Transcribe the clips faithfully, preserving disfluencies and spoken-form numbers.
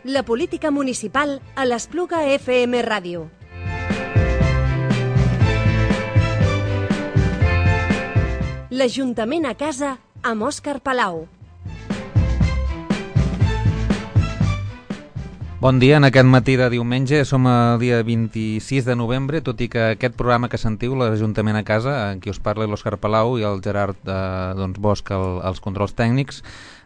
La política municipal a l'Espluga F M Ràdio. L'Ajuntament a casa amb Òscar Palau. Bon dia, en aquest matí de diumenge, som el dia vint-i-sis de novembre, tot i que aquest programa que sentiu, l'Ajuntament a casa, en qui us parla l'Òscar Palau i el Gerard eh, doncs Bosch, el, els controls tècnics,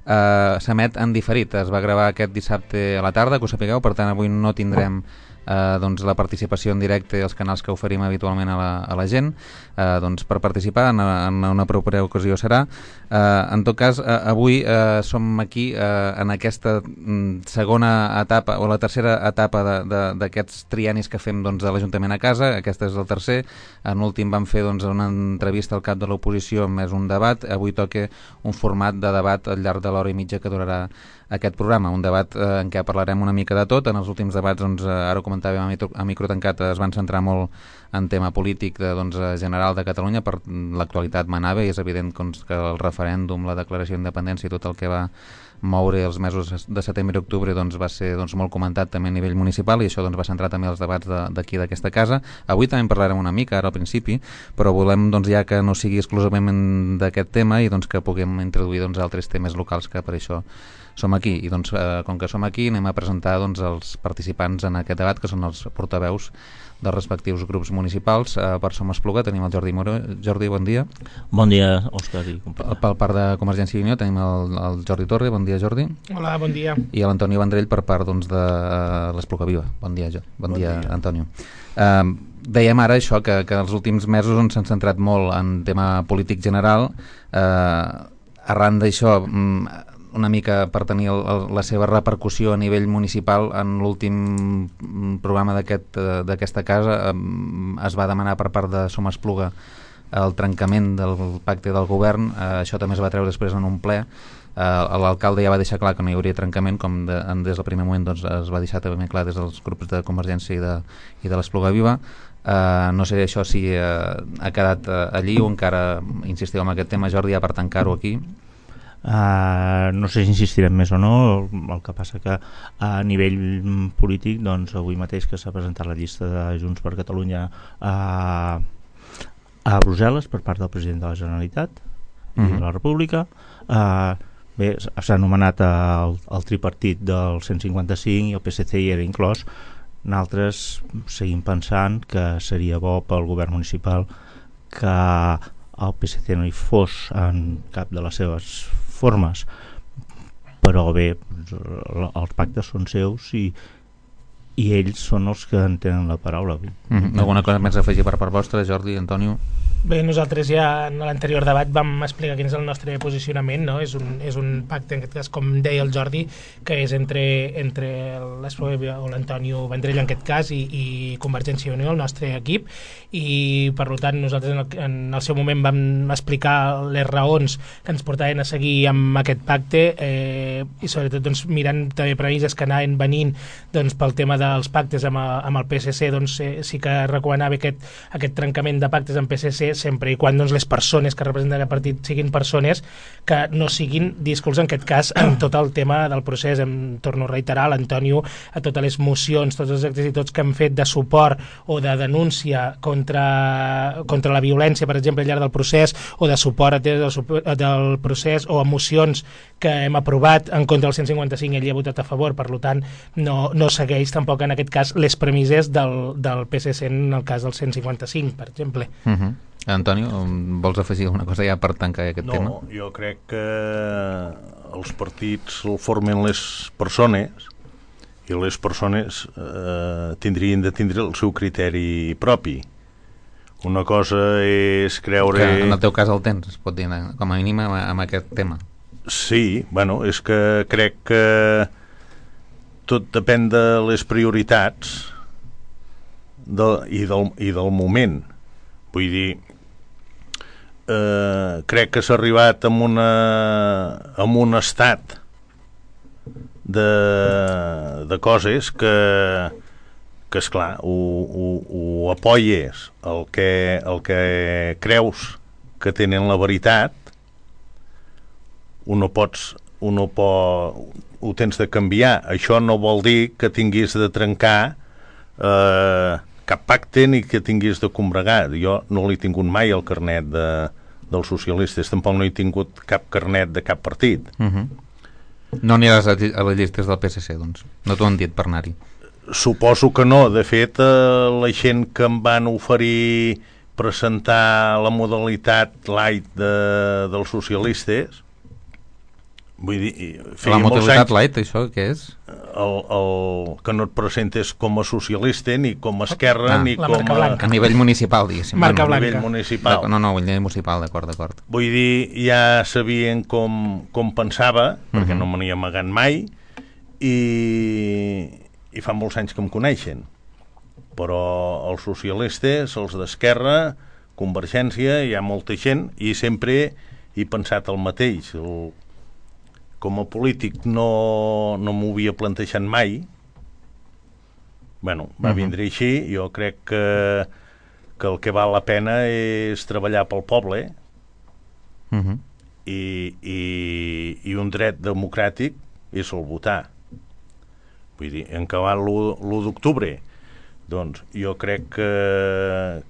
eh, s'emet en diferit. Es va gravar aquest dissabte a la tarda, que ho sapigueu, per tant avui no tindrem eh, doncs, la participació en directe i els canals que oferim habitualment a la, a la gent. Eh, doncs per participar en, en una propera ocasió serà. Eh, en tot cas, eh, avui eh, som aquí eh, en aquesta mm, segona etapa o la tercera etapa d'aquests triennis que fem doncs, de l'Ajuntament a casa. Aquest és el tercer. En l'últim vam fer doncs, una entrevista al cap de l'oposició més un debat. Avui toca un format de debat al llarg de l'hora i mitja que durarà aquest programa, un debat eh, en què parlarem una mica de tot. En els últims debats, doncs, eh, ara ho comentàvem a micro, a micro tancat, es van centrar molt en tema polític de, doncs, general de Catalunya, per l'actualitat manava, i és evident doncs, que el referèndum, la declaració d'independència i tot el que va moure els mesos de setembre i octubre doncs, va ser doncs, molt comentat també a nivell municipal, i això doncs, va centrar també els debats d'aquí d'aquesta casa. Avui també en parlarem una mica, ara al principi, però volem doncs, ja que no sigui exclusivament d'aquest tema i doncs, que puguem introduir doncs, altres temes locals, que per això som aquí. I doncs, eh, com que som aquí, anem a presentar doncs, els participants en aquest debat, que són els portaveus dels respectius grups municipals. Eh, per Som Espluga tenim el Jordi Moró. Jordi, bon dia. Bon dia, Òscar i companyia. Pel part de Convergència i Unió tenim el, el Jordi Torre. Bon dia, Jordi. Hola, bon dia. I l'Antoni Vendrell per part doncs, de uh, l'Espluga Viva. Bon dia, jo. Bon, bon dia, dia, Antonio. Uh, dèiem ara això, que, que els últims mesos on s'han centrat molt en tema polític general. Uh, arran d'això, um, una mica per tenir el, el, la seva repercussió a nivell municipal, en l'últim programa d'aquesta aquest, casa eh, es va demanar per part de Som Espluga el trencament del pacte del govern. Eh, això també es va treure després en un ple. Eh, l'alcalde ja va deixar clar que no hi hauria trencament, com de, des del primer moment doncs, es va deixar també clar des dels grups de Convergència i de, i de l'Espluga Viva. Uh, no sé això si uh, ha quedat uh, allí o encara insistiu en aquest tema, Jordi, ja per tancar-ho aquí. Uh, no sé si insistirem més o no. El que passa que a nivell polític, doncs, avui mateix que s'ha presentat la llista de Junts per Catalunya a, a Brussel·les per part del president de la Generalitat i uh-huh. de la República, uh, bé, s'ha anomenat el, el tripartit del cent cinquanta-cinc i el P S C hi era inclòs. Nosaltres seguim pensant que seria bo pel govern municipal que el P S C no hi fos en cap de les seves formes, però bé, els pactes són seus i, i ells són els que en tenen la paraula. Mm-hmm. Alguna cosa més a afegir per part vostra, Jordi, Antonio? Bé, nosaltres ja en l'anterior debat vam explicar quin és el nostre posicionament, no? És un, és un pacte, en aquest cas, com deia el Jordi, que és entre, entre l'Espluga o l'Antonio Vendrell, en aquest cas, i, i Convergència i Unió, el nostre equip, i per tant nosaltres en el, en el seu moment vam explicar les raons que ens portaven a seguir amb aquest pacte, eh, i sobretot doncs, mirant també previses que anaven venint doncs, pel tema dels pactes amb, a, amb el P S C, doncs eh, sí que recomanava aquest, aquest trencament de pactes amb P S C sempre i quan doncs, les persones que representen el partit siguin persones que no siguin díscols, en aquest cas, en tot el tema del procés. Em torno a reiterar l'Antonio a totes les mocions, tots els actes i tots que hem fet de suport o de denúncia contra, contra la violència, per exemple, al llarg del procés, o de suport del, del procés, o a mocions que hem aprovat en contra del cent cinquanta-cinc, ell hi ha votat a favor, per tant no, no segueix tampoc en aquest cas les premisses del, del P S C en el cas del cent cinquanta-cinc, per exemple. Uh-huh. Antonio, vols afegir alguna cosa ja per tancar aquest no, tema? No, jo crec que els partits el formen les persones i les persones eh, tindrien de tindre el seu criteri propi. Una cosa és creure... Que en el teu cas el tens, es pot dir, com a mínim amb aquest tema. Sí, bueno, és que crec que tot depèn de les prioritats de, i, del, i del moment. Vull dir, eh, crec que s'ha arribat amb, una, amb un estat de, de coses que, que esclar, ho, ho, ho apoyes el que, el que creus que tenen la veritat, ho no pots un no pot, ho tens de canviar. Això no vol dir que tinguis de trencar eh, cap pacte ni que tinguis de combregar. Jo no l'he tingut mai el carnet de, dels socialistes, tampoc no he tingut cap carnet de cap partit. Uh-huh. No aniràs a, a les llistes del P S C, doncs? No t'ho han dit per anar-hi? Suposo que no. De fet, eh, la gent que em van oferir presentar la modalitat light de, dels socialistes, vull dir, la modalitat light, això què és? El, el, que no et presentes com a socialista ni com a esquerra ah, ni com a... A nivell municipal, diguéssim. Marca bueno, blanca. A nivell municipal. No, no, a nivell municipal, d'acord, d'acord. Vull dir, ja sabien com, com pensava, uh-huh. perquè no me n'hi he amagat mai, i, i fa molts anys que em coneixen. Però els socialistes, els d'Esquerra, Convergència, hi ha molta gent, i sempre he pensat el mateix. El, com a polític no, no m'ho havia plantejat mai. Bueno, va uh-huh. vindre així. Jo crec que, que el que val la pena és treballar pel poble uh-huh. i, i, i un dret democràtic és el votar. Vull dir, en acabat l'u d'octubre, doncs jo crec que,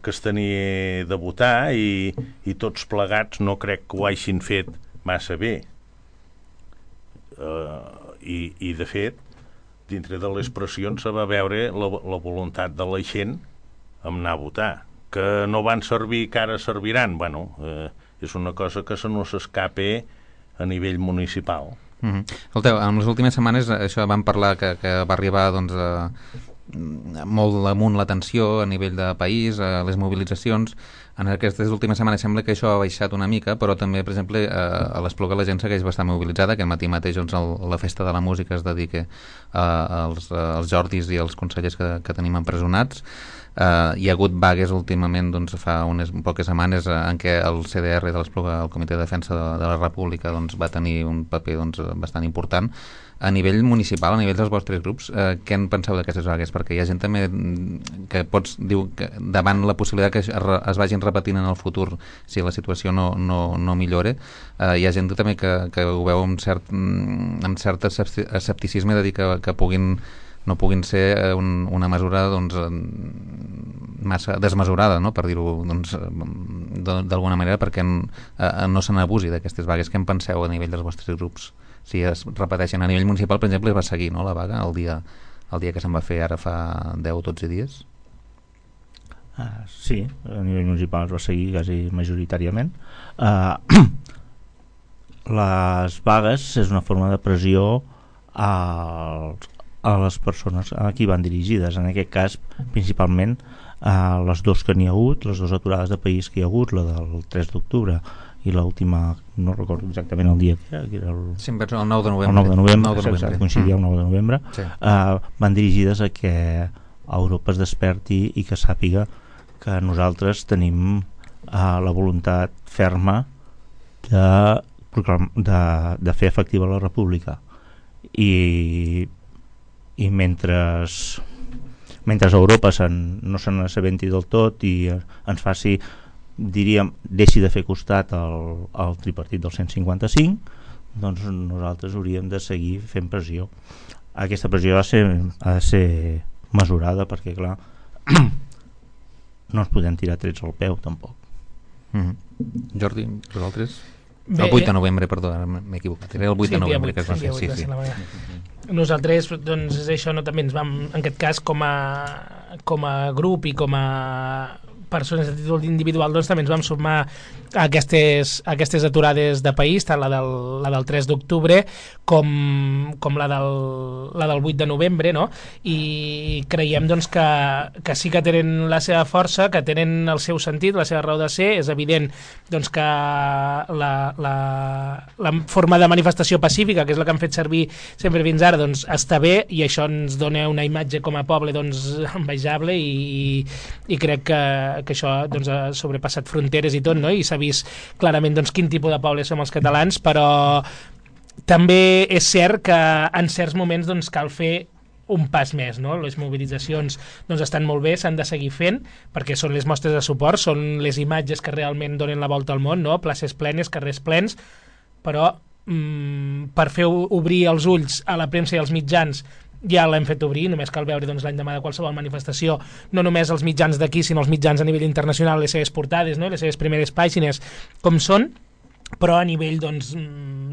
que es tenia de votar i, i tots plegats no crec que ho hagin fet massa bé. Uh, i, i de fet dintre de les pressions se va veure la, la voluntat de la gent en anar a votar, que no van servir que ara serviran, bueno, uh, és una cosa que se no s'escape a nivell municipal. Mm-hmm. Escolteu, en les últimes setmanes això vam parlar que, que va arribar doncs, a, molt amunt la tensió a nivell de país, a les mobilitzacions. En aquestes últimes setmanes sembla que això ha baixat una mica, però també, per exemple, a l'Espluga la gent segueix bastant mobilitzada. Aquest matí mateix doncs, el, la festa de la música es dedica als, als Jordis i als consellers que, que tenim empresonats. Uh, hi ha hagut vagues últimament, doncs, fa unes poques setmanes uh, en què el C D R de l'Espluga, el Comitè de Defensa de, de la República, doncs, va tenir un paper doncs, bastant important. A nivell municipal, a nivell dels vostres grups, eh, què en penseu d'aquestes vagues? Perquè hi ha gent també que pots diu que davant la possibilitat que es, es vagin repetint en el futur si la situació no, no, no millore, eh, hi ha gent també que, que ho veu amb cert, amb cert escepticisme de dir que, que puguin no puguin ser un, una mesura doncs, massa desmesurada, no? Per dir-ho doncs, d'alguna manera, perquè en, eh, no se n'abusi d'aquestes vagues. Què en penseu a nivell dels vostres grups? Si es repeteixen a nivell municipal, per exemple, es va seguir, no, la vaga el dia, el dia que se'n va fer ara fa deu o dotze dies? Uh, sí, a nivell municipal es va seguir quasi majoritàriament. Uh, les vagues és una forma de pressió als a les persones a qui van dirigides, en aquest cas principalment a les dues que n'hi ha hagut, les dues aturades de país que hi ha hagut, la del tres d'octubre i l'última, no recordo exactament el dia que era, que era el... Sí, el nou de novembre, el nou de novembre, nou de novembre. coincidia el nou de novembre, sí. uh, van dirigides a que Europa es desperti i que sàpiga que nosaltres tenim uh, la voluntat ferma de, de, de fer efectiva la república i i mentre mentre Europa sen, no se n'assabenti del tot i ens faci, diríem, deixi de fer costat al, al tripartit del cent cinquanta-cinc, doncs nosaltres hauríem de seguir fent pressió. Aquesta pressió ha de ser, ha de ser mesurada, perquè clar no ens podem tirar trets al peu tampoc. Mm-hmm. Jordi, vosaltres? Bé, el vuit de novembre, perdó, m'he equivocat, era el vuit sí, de novembre vuit, que es va fer, sí, sí. Nosaltres, doncs, és això, no, també ens vam, en aquest cas, com a, com a grup i com a persones a títol individual, doncs també ens vam sumar a aquestes, a aquestes aturades de país, tant la del, la del tres d'octubre com, com la, del, la del vuit de novembre, no? I creiem doncs, que, que sí que tenen la seva força, que tenen el seu sentit, la seva raó de ser. És evident doncs, que la, la, la forma de manifestació pacífica, que és la que han fet servir sempre fins ara, doncs, està bé, i això ens dona una imatge com a poble doncs, envejable, i, i crec que, que això doncs, ha sobrepassat fronteres i tot, no? I s'ha vist clarament doncs, quin tipus de poble som els catalans, però també és cert que en certs moments doncs, cal fer un pas més, no? Les mobilitzacions doncs, estan molt bé, s'han de seguir fent, perquè són les mostres de suport, són les imatges que realment donen la volta al món, no? Places plenes, carrers plens, però mm, per fer obrir els ulls a la premsa i als mitjans ja l'hem fet obrir, només cal veure doncs, l'endemà de qualsevol manifestació, no només els mitjans d'aquí, sinó els mitjans a nivell internacional, les seves portades, no? Les seves primeres pàgines, com són, però a nivell doncs,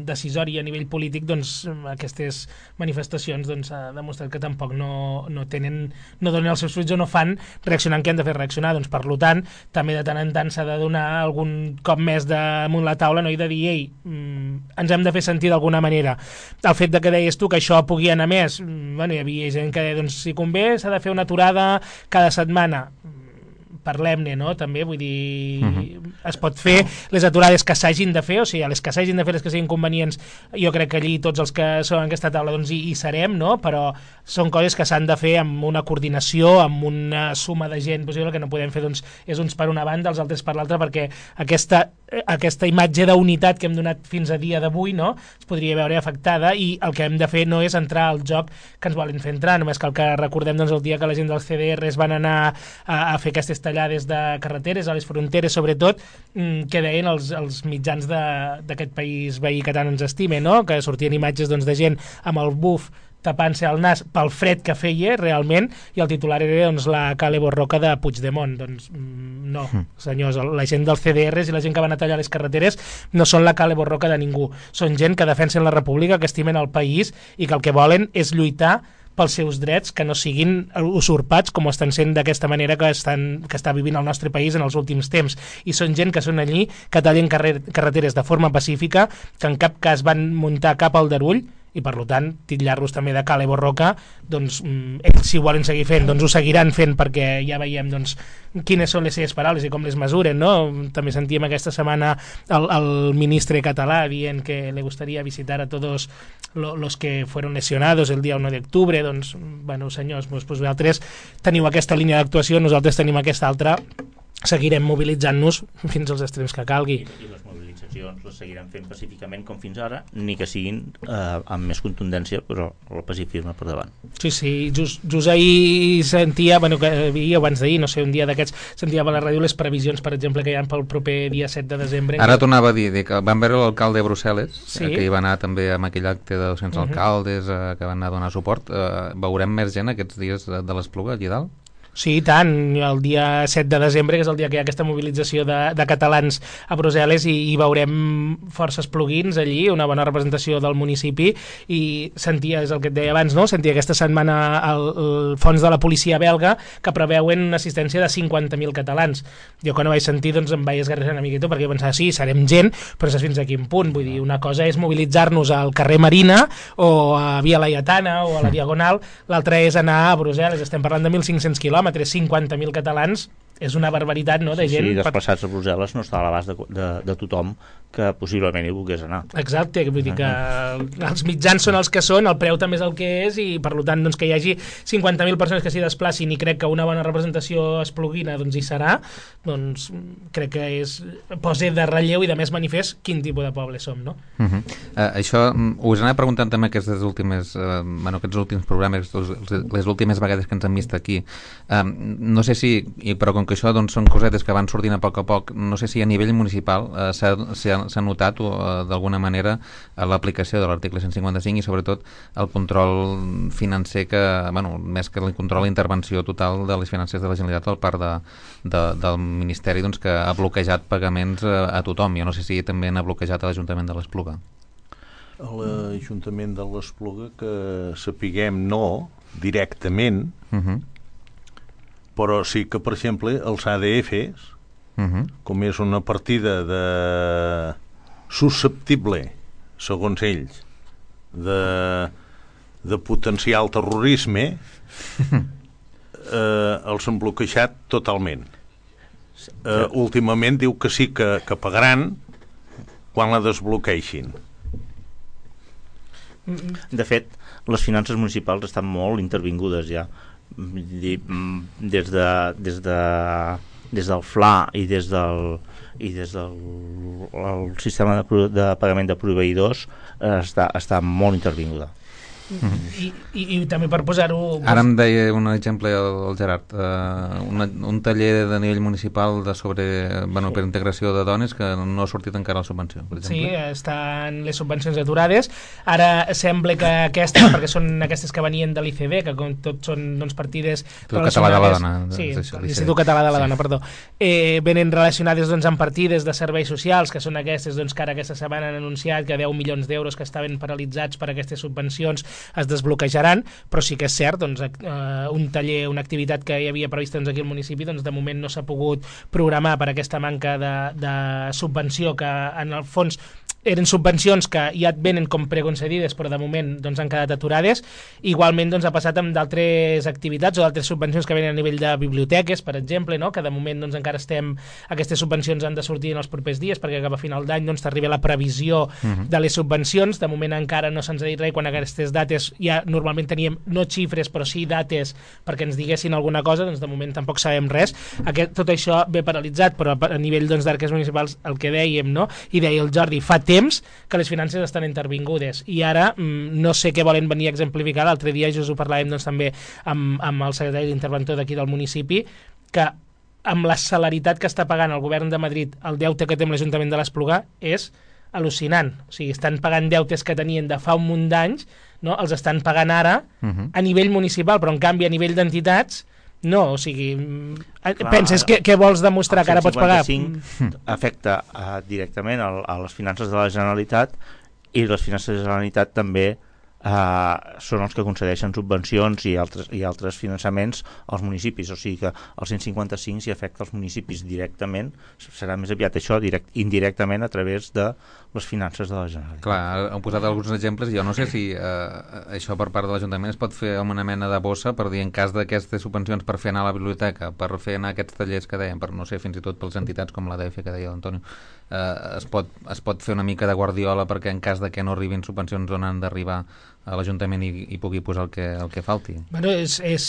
decisori, a nivell polític, doncs, aquestes manifestacions doncs, ha demostrat que tampoc no, no tenen, no donen els seus fruits o no fan reaccionar en què han de fer reaccionar. Doncs, per tant, també de tant en tant s'ha de donar algun cop més damunt la taula, no? I de dir, ei, ens hem de fer sentir d'alguna manera. El fet de que deies tu que això pugui anar més, bueno, hi havia gent que deia, doncs, si convé s'ha de fer una aturada cada setmana. Parlem-ne, no? També, vull dir, uh-huh. es pot fer les aturades que s'hagin de fer, o sigui, les que s'hagin de fer, les que siguin convenients, jo crec que allí tots els que són en aquesta taula doncs hi, hi serem, no? Però són coses que s'han de fer amb una coordinació, amb una suma de gent possible, que no podem fer, doncs, és uns per una banda, els altres per l'altra, perquè aquesta, aquesta imatge d'unitat que hem donat fins a dia d'avui, no? Es podria veure afectada, i el que hem de fer no és entrar al joc que ens volen fer entrar, només cal que recordem doncs, el dia que la gent dels C D Rs van anar a, a fer aquestes tallades de carreteres, a les fronteres sobretot, que deien els, els mitjans d'aquest país veí que tant ens estime, no? Que sortien imatges doncs, de gent amb el buf tapant-se el nas pel fred que feia realment, i el titular era doncs, la Cale Borroca de Puigdemont. Doncs no, senyors, la gent dels C D Rs i la gent que van a tallar les carreteres no són la Cale Borroca de ningú, són gent que defensen la república, que estimen el país i que el que volen és lluitar pels seus drets, que no siguin usurpats com estan sent d'aquesta manera que, estan, que està vivint el nostre país en els últims temps. I són gent que són allí, que tallen carrer, carreteres de forma pacífica, que en cap cas van muntar cap aldarull, i per tant titllar-los també de Cale Borroca, doncs ells si ho volen seguir fent doncs ho seguiran fent, perquè ja veiem doncs, quines són les seves paraules i com les mesuren, no? També sentíem aquesta setmana el, el ministre català dient que le gustaría visitar a todos lo, los que fueron lesionados el día uno de octubre. Doncs, bueno, senyors, doncs, doncs vosaltres teniu aquesta línia d'actuació, nosaltres tenim aquesta altra, seguirem mobilitzant-nos fins als extrems que calgui. I, i les mobilitzacions les seguirem fent pacíficament com fins ara, ni que siguin eh, amb més contundència, però el pacifisme per davant. Sí, sí, just, just ahir sentia, bueno, que havia abans d'ahir, no sé, un dia d'aquests, sentia a la ràdio les previsions, per exemple, que hi ha pel proper dia set de desembre. Ara tornava a dir, dir que van veure l'alcalde de Brussel·les, sí? eh, que hi va anar també amb aquell acte de dos-cents uh-huh. alcaldes eh, que van anar a donar suport. Eh, veurem més gent aquests dies de, de l'Espluga, allí dalt? Sí, i tant, el dia set de desembre, que és el dia que hi ha aquesta mobilització de, de catalans a Brussel·les, i, i veurem forces plugins allí, una bona representació del municipi, i sentia, és el que et deia abans, no? Sentia aquesta setmana el, el fons de la policia belga que preveuen una assistència de cinquanta mil catalans. Jo quan ho vaig sentir doncs em vaig esgarrissar una miqueta, perquè jo pensava, sí, serem gent, però saps fins a quin punt? Vull dir, una cosa és mobilitzar-nos al carrer Marina o a Via Laietana o a la Diagonal, l'altra és anar a Brussel·les. Estem parlant de mil cinc-cents quilòmetres, cinquanta mil catalans, és una barbaritat, no?, de sí, gent. Sí, desplaçats a Brussel·les no està a l'abast de, de, de tothom que possiblement hi volgués anar. Exacte, vull dir que els mitjans són els que són, el preu també és el que és, i per tant doncs, que hi hagi cinquanta mil persones que s'hi desplacin, i crec que una bona representació espluguina doncs, hi serà, doncs crec que és posa de relleu i de més manifest quin tipus de poble som, no? Uh -huh. uh, això us anava preguntant també aquestes últimes, uh, bueno, aquests últims programes, les últimes vegades que ens han vist aquí. Uh, no sé si, però com que això doncs, són cosetes que van sortint a poc a poc, no sé si a nivell municipal uh, s'ha s'ha notat uh, d'alguna manera uh, l'aplicació de l'article cent cinquanta-cinc i sobretot el control financer que, bueno, més que el control, la intervenció total de les finances de la Generalitat per part de, de, del Ministeri, doncs, que ha bloquejat pagaments a, a tothom. Jo no sé si també n'ha bloquejat a l'Ajuntament de l'Espluga. A l'Ajuntament de l'Espluga, que sapiguem no directament, uh-huh. però sí que, per exemple, els A D Fs, uh-huh. com és una partida de susceptible, segons ells, de, de potencial terrorisme, eh, els han bloquejat totalment. Eh, últimament diu que sí que, que pagaran quan la desbloqueixin. De fet, les finances municipals estan molt intervingudes ja. Des de, des de des del F L A i des del i des del el sistema de, de pagament de proveïdors eh, està, està molt intervinguda. Mm-hmm. I, i, i també per posar-ho... Ara em deia un exemple el, el Gerard, uh, una, un taller de nivell municipal de sobre, bueno, per integració de dones que no ha sortit encara la subvenció, per exemple. Sí, estan les subvencions aturades. Ara sembla que aquestes, perquè són aquestes que venien de l'I C D, que com tot són doncs, partides Català de la Dona. Sí, això, l'Institut Català de la Dona, sí. Perdó. Eh, venen relacionades doncs, amb partides de serveis socials, que són aquestes doncs, que ara aquesta setmana han anunciat que deu milions d'euros que estaven paralitzats per aquestes subvencions es desbloquejaran, però sí que és cert, doncs, eh, un taller, una activitat que hi havia prevista doncs, aquí al municipi, doncs, de moment no s'ha pogut programar per aquesta manca de, de subvenció que en el fons eren subvencions que ja et venen com preconcedides però de moment doncs, han quedat aturades. Igualment doncs, ha passat amb d'altres activitats o d'altres subvencions que venen a nivell de biblioteques, per exemple, no? Que de moment doncs, encara estem, aquestes subvencions han de sortir en els propers dies perquè cap a final d'any doncs, t'arriba la previsió uh-huh. de les subvencions. De moment encara no se'ns ha dit res, quan aquestes dates ja normalment teníem no xifres però sí dates perquè ens diguessin alguna cosa, doncs de moment tampoc sabem res. Aquest, tot això ve paralitzat, però a nivell doncs, d'arques municipals el que dèiem, no? I deia el Jordi, fa temps que les finances estan intervingudes i ara mm, no sé què volen venir a exemplificar. L'altre dia just ho parlàvem doncs, també amb, amb el secretari d'interventor d'aquí del municipi, que amb la celeritat que està pagant el govern de Madrid el deute que té amb l'Ajuntament de l'Espluga és al·lucinant. O sigui, estan pagant deutes que tenien de fa un munt d'anys, no? Els estan pagant ara uh-huh. a nivell municipal, però en canvi a nivell d'entitats no, o sigui, clar, penses que, que vols demostrar que ara pots pagar? El cent cinquanta-cinc afecta uh, directament a, a les finances de la Generalitat i les finances de la Generalitat també uh, són els que concedeixen subvencions i altres, i altres finançaments als municipis, o sigui que el cent cinquanta-cinc si afecta els municipis directament serà més aviat això, direct, indirectament a través de les finances de la Generalitat. Clar, heu posat alguns exemples, jo no sé si eh, això per part de l'Ajuntament es pot fer amb una mena de bossa per dir en cas d'aquestes subvencions per fer anar a la biblioteca, per fer anar aquests tallers que dèiem, per no sé, fins i tot pels entitats com la D F que deia l'Antonio, eh, es, pot, es pot fer una mica de guardiola perquè en cas de que no arribin subvencions on han d'arribar a l'Ajuntament i, i pugui posar el que, el que falti. Bueno, és, és,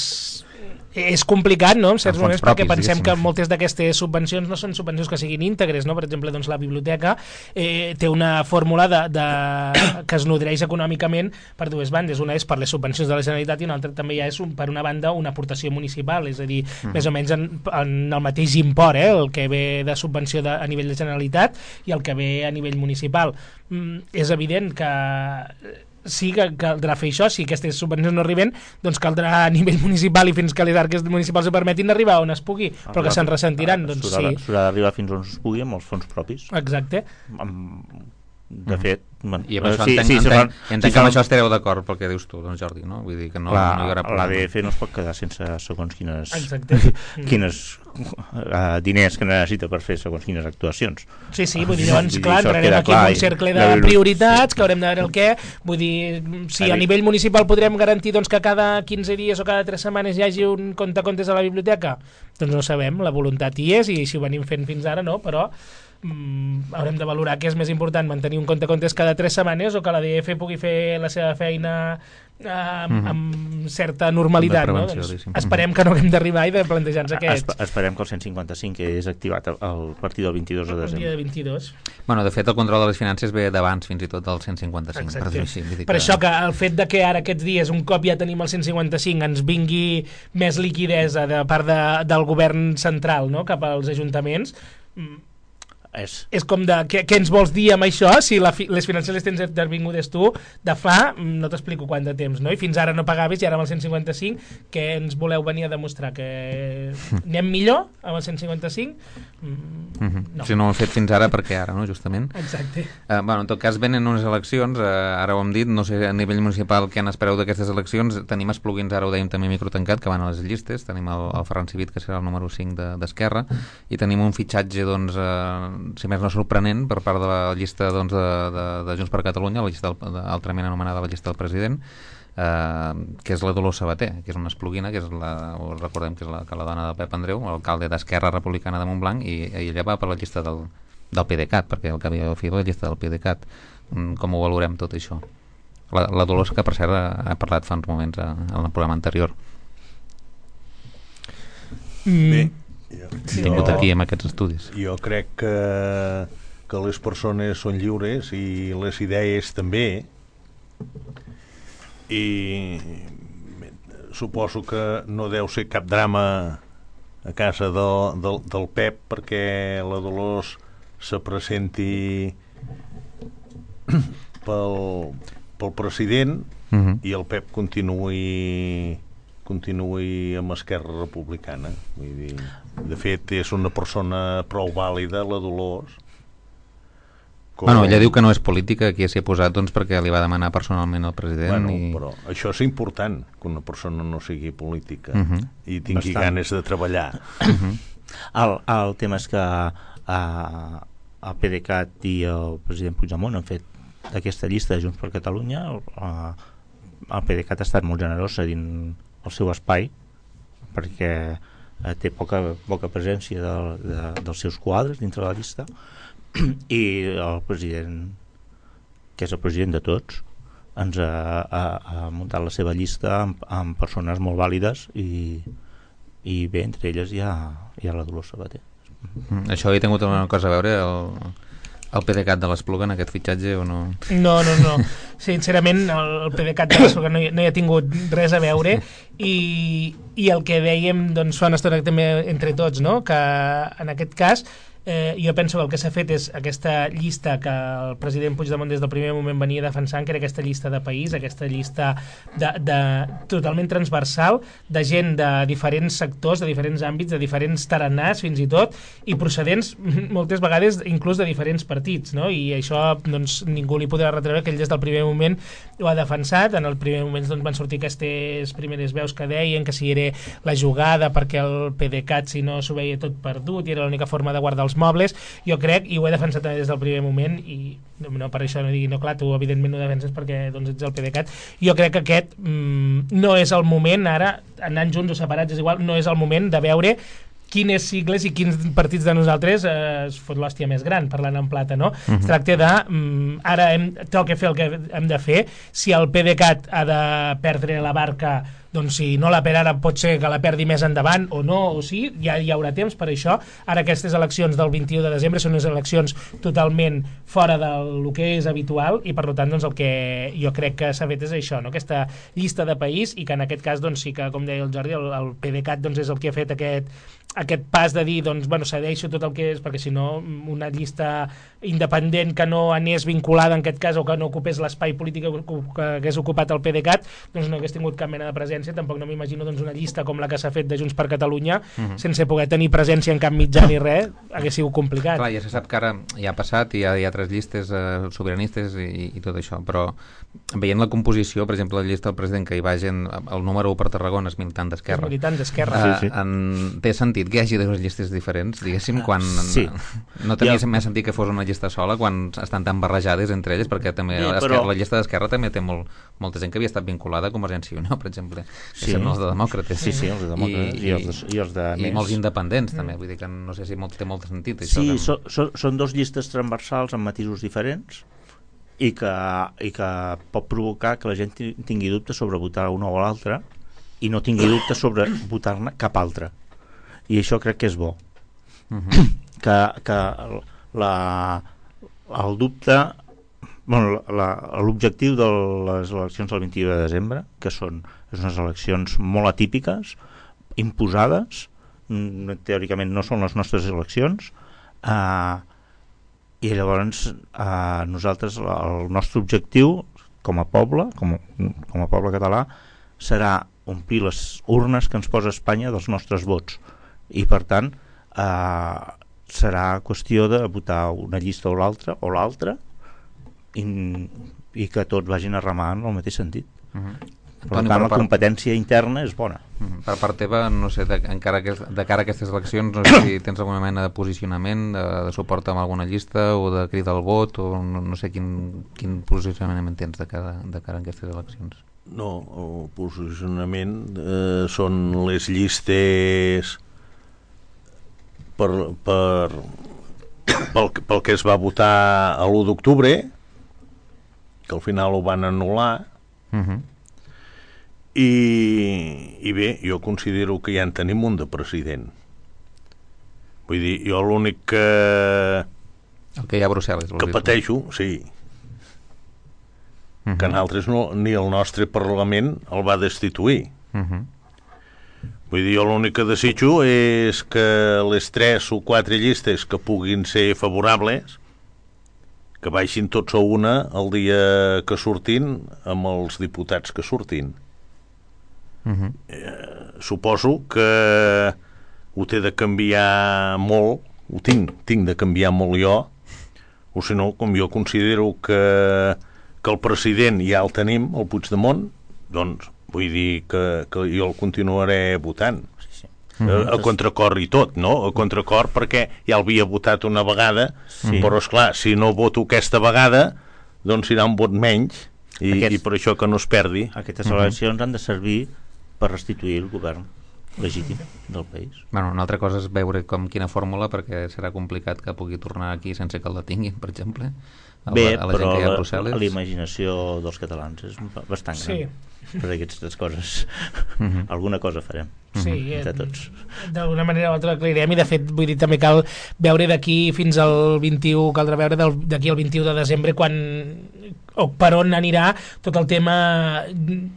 és complicat, no?, en certs moments, propis, perquè pensem diguéssim. Que moltes d'aquestes subvencions no són subvencions que siguin íntegres, no? Per exemple, doncs, la biblioteca eh, té una fórmula de, de, que es nodreix econòmicament per dues bandes. Una és per les subvencions de la Generalitat i una altra també ja és, un, per una banda, una aportació municipal, és a dir, uh-huh. més o menys en, en el mateix import, eh? El que ve de subvenció de, a nivell de Generalitat i el que ve a nivell municipal. Mm, és evident que sí que caldrà fer això, si aquestes subvencions no arriben, doncs caldrà a nivell municipal i fins que les arques municipals ho permetin arribar on es pugui, ah, però que se'n ressentiran, doncs sí. S'haurà d'arribar fins on es pugui amb els fons propis. Exacte. Amb, de fet, bueno, i amb això sí, entenc, sí, entenc, fan, entenc si que amb fan... això estareu d'acord pel que dius tu, doncs Jordi, no? Vull dir que no, la, no hi haurà problema. L'A D F no es pot quedar sense segons quines, quines uh, diners que necessita per fer segons quines actuacions. Sí, sí, vull dir, llavors, vull clar, entrarem aquí en un cercle de prioritats, que haurem de veure el què, vull dir, si a nivell municipal podrem garantir doncs, que cada quinze dies o cada tres setmanes hi hagi un compte-comptes a la biblioteca, doncs no sabem, la voluntat hi és i si ho venim fent fins ara no, però Mm, haurem de valorar què és més important, mantenir un compte comptes cada tres setmanes o que la D F pugui fer la seva feina eh, amb, mm-hmm. amb certa normalitat, no? Doncs esperem que no haguem d'arribar i de plantejar-nos aquests. Esp esperem que el cent cinquanta-cinc és activat a partir del vint-i-dos de desembre. El dia de vint-i-dos. Bueno, de fet el control de les finances ve d'abans fins i tot del cent cinquanta-cinc. Per, així, per que... això que el fet de que ara aquests dies un cop ja tenim el cent cinquanta-cinc ens vingui més liquidesa de part de, del govern central, no? Cap als ajuntaments, És. és com de, què, què ens vols dir amb això si la fi, les finances les tens intervingudes tu de fa, no t'explico quant de temps, no? I fins ara no pagaves i ara amb el cent cinquanta-cinc què ens voleu venir a demostrar? Que anem millor amb el cent cinquanta-cinc? Mm-hmm. No. Si no ho hem fet fins ara, perquè ara, no? Justament. Exacte. Uh, bueno, en tot cas venen unes eleccions, uh, ara ho hem dit, no sé a nivell municipal què n'espereu d'aquestes eleccions. Tenim els plugins, ara ho dèiem també microtancat, que van a les llistes, tenim el, el Ferran Civit, que serà el número cinc d'Esquerra, de, i tenim un fitxatge, doncs, uh, si més no sorprenent, per part de la llista doncs, de, de, de Junts per Catalunya, la llista del, de, altrament anomenada la llista del president, eh, que és la Dolors Sabater, que és una esplugina, que és la, recordem que és la, que la dona de Pep Andreu, l'alcalde d'Esquerra Republicana de Montblanc, i, i ella va per la llista del, del PDeCAT, perquè el que havia fet la llista del PDeCAT. Com ho valorem tot això? La, la Dolors, que per cert ha parlat fa uns moments a, en el programa anterior. Bé, Jo, tingut aquí amb aquests estudis. Jo crec que, que les persones són lliures i les idees també, i suposo que no deu ser cap drama a casa del, del, del Pep perquè la Dolors se presenti pel, pel president uh-huh. i el Pep continuï continuï amb Esquerra Republicana. Vull dir, de fet és una persona prou vàlida, la Dolors. Com... Bueno, ella diu que no és política, aquí s'hi ha posat doncs, perquè li va demanar personalment al president. Bueno, i... però això és important, que una persona no sigui política uh-huh. i tingui Bastant. ganes de treballar. Uh-huh. el, el tema és que uh, el PDeCAT i el president Puigdemont han fet aquesta llista de Junts per Catalunya. Uh, el PDeCAT ha estat molt generós cedint el seu espai perquè uh, té poca, poca presència de, de, dels seus quadres dintre la llista, i el president, que és el president de tots, ens ha, ha, ha muntat la seva llista amb, amb persones molt vàlides i, i bé, entre elles hi ha, hi ha la Dolors Sabater. Mm, això hi ha tingut alguna cosa a veure el, el PDeCAT de l'Espluga en aquest fitxatge o no? No, no, no. Sincerament el, el PDeCAT de l'Espluga no, hi, no hi ha tingut res a veure i, i el que dèiem doncs, fa una estona també entre tots, no? Que en aquest cas Eh, jo penso que el que s'ha fet és aquesta llista que el president Puigdemont des del primer moment venia defensant, que era aquesta llista de país, aquesta llista de, de, totalment transversal, de gent de diferents sectors, de diferents àmbits, de diferents taranars fins i tot, i procedents moltes vegades inclús de diferents partits, no? I això doncs, ningú li podrà retreure que ell des del primer moment ho ha defensat. En el primer moment doncs, van sortir aquestes primeres veus que deien que si era la jugada perquè el PDeCAT si no s'ho veia tot perdut i era l'única forma de guardar els mobles. Jo crec, i ho he defensat també des del primer moment, i no per això no digui, no clar, tu evidentment no defenses perquè doncs, ets el PDeCAT. Jo crec que aquest mm, no és el moment ara, anant junts o separats és igual, no és el moment de veure quines sigles i quins partits de nosaltres eh, es fot l'hòstia més gran, parlant en plata, no? Uh-huh. Es tracta de, mm, ara hem, toca fer el que hem de fer. Si el PDeCAT ha de perdre la barca, doncs si no la per ara pot ser que la perdi més endavant o no, o sí, ja hi haurà temps per això. Ara aquestes eleccions del vint-i-u de desembre són unes eleccions totalment fora del que és habitual i per tant doncs, el que jo crec que s'ha fet és això, no? Aquesta llista de país, i que en aquest cas doncs, sí que, com deia el Jordi, el, el PDeCAT doncs, és el que ha fet aquest, aquest pas de dir, doncs, bueno, cedeixo tot el que és, perquè si no una llista independent que no anés vinculada en aquest cas o que no ocupés l'espai polític que hagués ocupat el PDeCAT, doncs no hagués tingut cap mena de presència. Tampoc no m'imagino doncs, una llista com la que s'ha fet de Junts per Catalunya uh-huh. sense poder tenir presència en cap mitjà ni res, hagués sigut complicat. Clar, ja se sap que ara ja ha passat i hi ha, hi ha tres llistes eh, sobiranistes i, i tot això, però veient la composició, per exemple, la llista del president que hi va gent, el número u per Tarragona és militant d'Esquerra. És militant d'Esquerra. Uh, sí, sí. En, té sentit que hi hagi dues llistes diferents, diguéssim, quan sí. no tenia ja. més sentit que fos una llista sola quan estan tan barrejades entre elles, perquè també sí, però... la llista d'Esquerra també té molt, molta gent que havia estat vinculada a Convergència i Unió, per exemple. Sí. Són els de demòcrates. Sí, sí, els de demòcrates i, i, els, de, i els de i més. molts independents també, vull dir que no sé si molt, té molt sentit això. Sí, que... so, so, són dos llistes transversals amb matisos diferents i que, i que pot provocar que la gent tingui dubtes sobre votar una o l'altra i no tingui dubtes sobre votar-ne cap altra, i això crec que és bo. Uh-huh. que, que la, el dubte, bueno, l'objectiu de les eleccions del vint-i-u de desembre, que són unes eleccions molt atípiques, imposades, teòricament no són les nostres eleccions, eh, i llavors eh, nosaltres, el nostre objectiu com a poble, com, com a poble català, serà omplir les urnes que ens posa Espanya dels nostres vots, i per tant eh, serà qüestió de votar una llista o l'altra o l'altra i, i que tots vagin a remar en el mateix sentit. Uh-huh. Per Toni, tant, la part... competència interna és bona. Uh-huh. Per part teva, no sé, de, encara que, de cara a aquestes eleccions, no sé si tens alguna mena de posicionament, de, de suport amb alguna llista o de crida al vot, o no, no sé quin, quin posicionament tens de cara, de cara a aquestes eleccions. No, el posicionament eh, són les llistes per, per, pel, pel que es va votar a l'u d'octubre, que al final ho van anul·lar. Uh-huh. I, i bé, jo considero que ja en tenim un de president. Vull dir, jo l'únic que el que hi ha a Brussel·les que pateixo, sí, uh-huh. que nosaltres no, ni el nostre Parlament el va destituir. Uh-huh. Vull dir, jo l'únic que desitjo és que les tres o quatre llistes que puguin ser favorables que baixin tots a una el dia que surtin amb els diputats que surtin. Uh-huh. Eh, suposo que ho té de canviar molt, ho tinc, tinc de canviar molt jo, o si no, com jo considero que, que el president ja el tenim, el Puigdemont, doncs vull dir que, que jo el continuaré votant. A, a contracor i tot, no? A contracor perquè ja l'havia votat una vegada, sí. Però esclar, si no voto aquesta vegada, doncs serà un vot menys i, Aquests, i per això que no es perdi. Aquestes eleccions uh-huh. han de servir per restituir el govern legítim del país. Bueno, una altra cosa és veure com quina fórmula, perquè serà complicat que pugui tornar aquí sense que el detinguin, per exemple. A Bé, la, a la però gent que hi ha a Brussel·les. la imaginació dels catalans és bastant gran. Sí. Per aquestes coses. Uh-huh. Alguna cosa farem. Sí, entre tots. D'alguna manera o altra aclarirem, i de fet vull dir també cal veure d'aquí fins al vint-i-u, caldrà veure d'aquí al vint-i-u de desembre quan o per on anirà tot el tema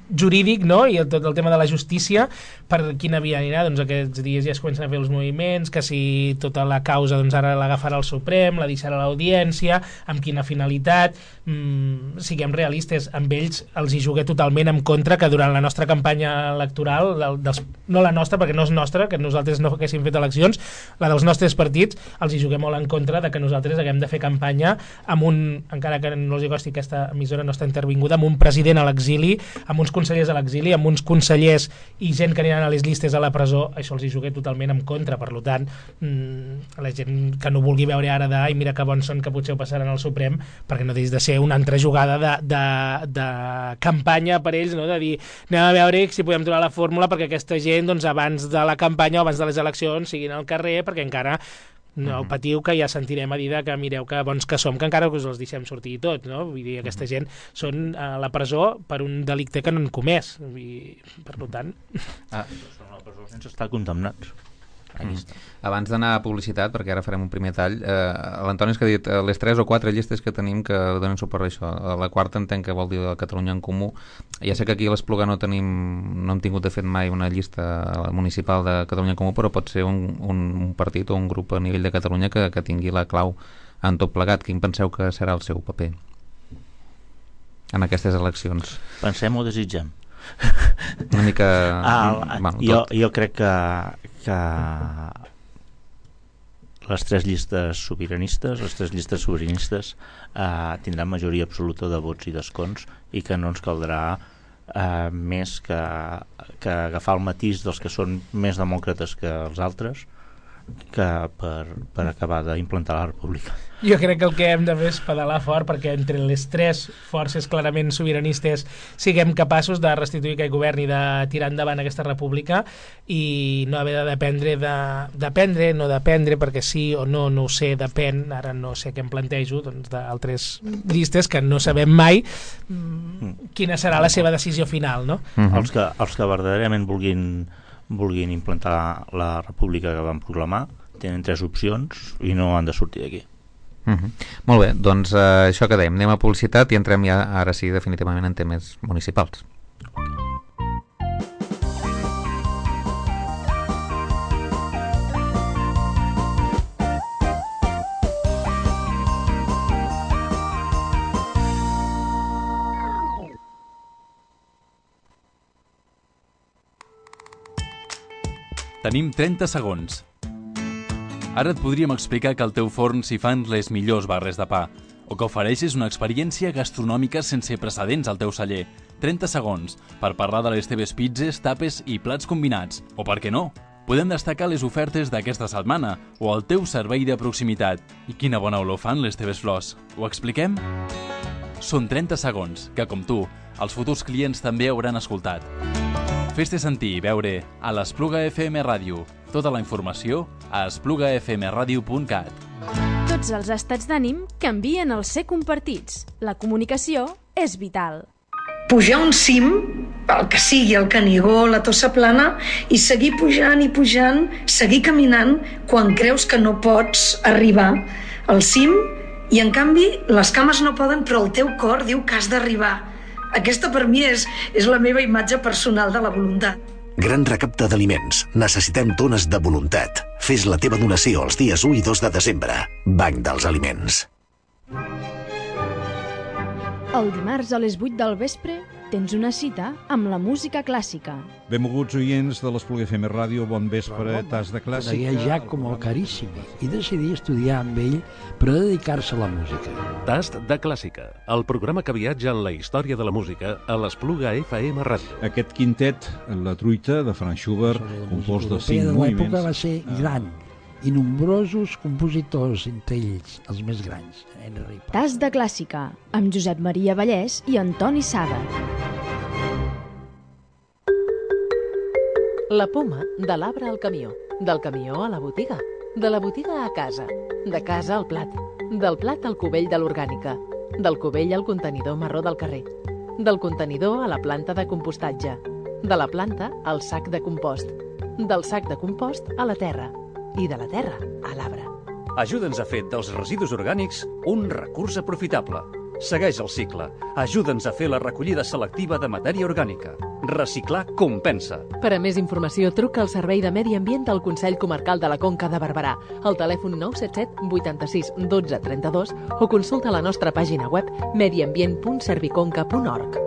jurídic, no? I tot el tema de la justícia, per quina via anirà. Doncs aquests dies ja es comencen a fer els moviments, que si tota la causa doncs ara l'agafarà el Suprem, la deixarà a l'Audiència, amb quina finalitat. Mm, siguem realistes, amb ells els hi jugué totalment en contra, que durant la nostra campanya electoral, dels, no la nostra, perquè no és nostra, que nosaltres no haguéssim fet eleccions, la dels nostres partits, els hi jugué molt en contra de que nosaltres haguem de fer campanya amb un, encara que no els hi costi, aquesta emissora no està intervinguda, amb un president a l'exili, amb uns consellers a l'exili, amb uns consellers i gent que aniran a les llistes a la presó. Això els hi jugué totalment en contra. Per tant, mmm, la gent que no vulgui veure ara de ai, mira que bons són, que potser ho passaran al Suprem, perquè no deixi de ser una altra jugada de, de, de campanya per ells, no? De dir, anem a veure si podem trobar la fórmula perquè aquesta gent, doncs, abans de la campanya o abans de les eleccions siguin al carrer, perquè encara no patiu, que ja sentirem a dir que mireu que bons que som, que encara us els deixem sortir i tot, no? Vull dir, aquesta gent són a la presó per un delicte que no han comès, i per tant... Ah, són a la presó sense estar condemnats. Mm. Abans d'anar a publicitat, perquè ara farem un primer tall, eh, l'Antoni és que ha dit eh, les tres o quatre llistes que tenim que donen suport a això. La quarta entenc que vol dir la Catalunya en Comú. Ja sé que aquí a l'Espluga no tenim, no hem tingut de fet mai una llista municipal de Catalunya en Comú, però pot ser un, un, un partit o un grup a nivell de Catalunya que, que tingui la clau en tot plegat. Quin penseu que serà el seu paper en aquestes eleccions? Pensem o desitgem? Una mica... Ah, bueno, jo, jo crec que, que les tres llistes sobiranistes, les tres llistes sobiranistes eh, tindran majoria absoluta de vots i d'escons, i que no ens caldrà eh, més que, que agafar el matís dels que són més demòcrates que els altres, que per, per acabar d'implantar la república. Jo crec que el que hem de fer és pedalar fort perquè entre les tres forces clarament sobiranistes siguem capaços de restituir aquest govern i de tirar endavant aquesta república, i no haver de dependre de, dependre, no dependre, perquè sí o no, no ho sé, depèn, ara no sé què em plantejo, doncs d'altres llistes que no sabem mai mm, quina serà la seva decisió final, no? Uh-huh. Els que, els que verdaderament vulguin vulguin implantar la república que van proclamar tenen tres opcions i no han de sortir d'aquí. Uh-huh. Molt bé, doncs uh, això que dèiem, anem a publicitat i entrem ja ara sí definitivament en temes municipals. Tenim trenta segons. Ara et podríem explicar que al teu forn s'hi fan les millors barres de pa, o que ofereixes una experiència gastronòmica sense precedents al teu celler. trenta segons per parlar de les teves pizzas, tapes i plats combinats. O per què no? Podem destacar les ofertes d'aquesta setmana o el teu servei de proximitat. I quina bona olor fan les teves flors. Ho expliquem? Són trenta segons que, com tu, els futurs clients també hauran escoltat. Fes-te sentir i veure a l'Espluga F M Ràdio. Tota la informació a espluga f m radio punt cat. Tots els estats d'ànim canvien al ser compartits. La comunicació és vital. Pujar un cim, el que sigui, el Canigó, la Tossa Plana, i seguir pujant i pujant, seguir caminant quan creus que no pots arribar al cim, i en canvi les cames no poden, però el teu cor diu que has d'arribar. Aquesta per mi és, és la meva imatge personal de la voluntat. Gran recapte d'aliments. Necessitem tones de voluntat. Fes la teva donació els dies u i dos de desembre. Banc dels Aliments. El dimarts a les vuit del vespre tens una cita amb la música clàssica. Benvolguts oients de l'Espluga F M Ràdio, bon vespre, tas de clàssica. Conegué Giacomo Carissimi i decidí estudiar amb ell per a dedicar-se a la música. Tast de clàssica, el programa que viatja en la història de la música a l'Espluga F M Ràdio. Aquest quintet, La truita, de Franz Schubert, compost de cinc de moviments. l'època va ser gran i nombrosos compositors, entre ells els més grans. Henry Paz. Tas de clàssica, amb Josep Maria Vallès i Antoni Saga. La poma, de l'arbre al camió, del camió a la botiga, de la botiga a casa, de casa al plat, del plat al cubell de l'orgànica, del cubell al contenidor marró del carrer, del contenidor a la planta de compostatge, de la planta al sac de compost, del sac de compost a la terra i de la terra a l'arbre. Ajuda'ns a fer dels residus orgànics un recurs aprofitable. Segueix el cicle. Ajuda'ns a fer la recollida selectiva de matèria orgànica. Reciclar compensa. Per a més informació, truca al Servei de Medi Ambient del Consell Comarcal de la Conca de Barberà, al telèfon nou set set vuitanta-sis dotze trenta-dos o consulta la nostra pàgina web mediambient punt serviconca punt org.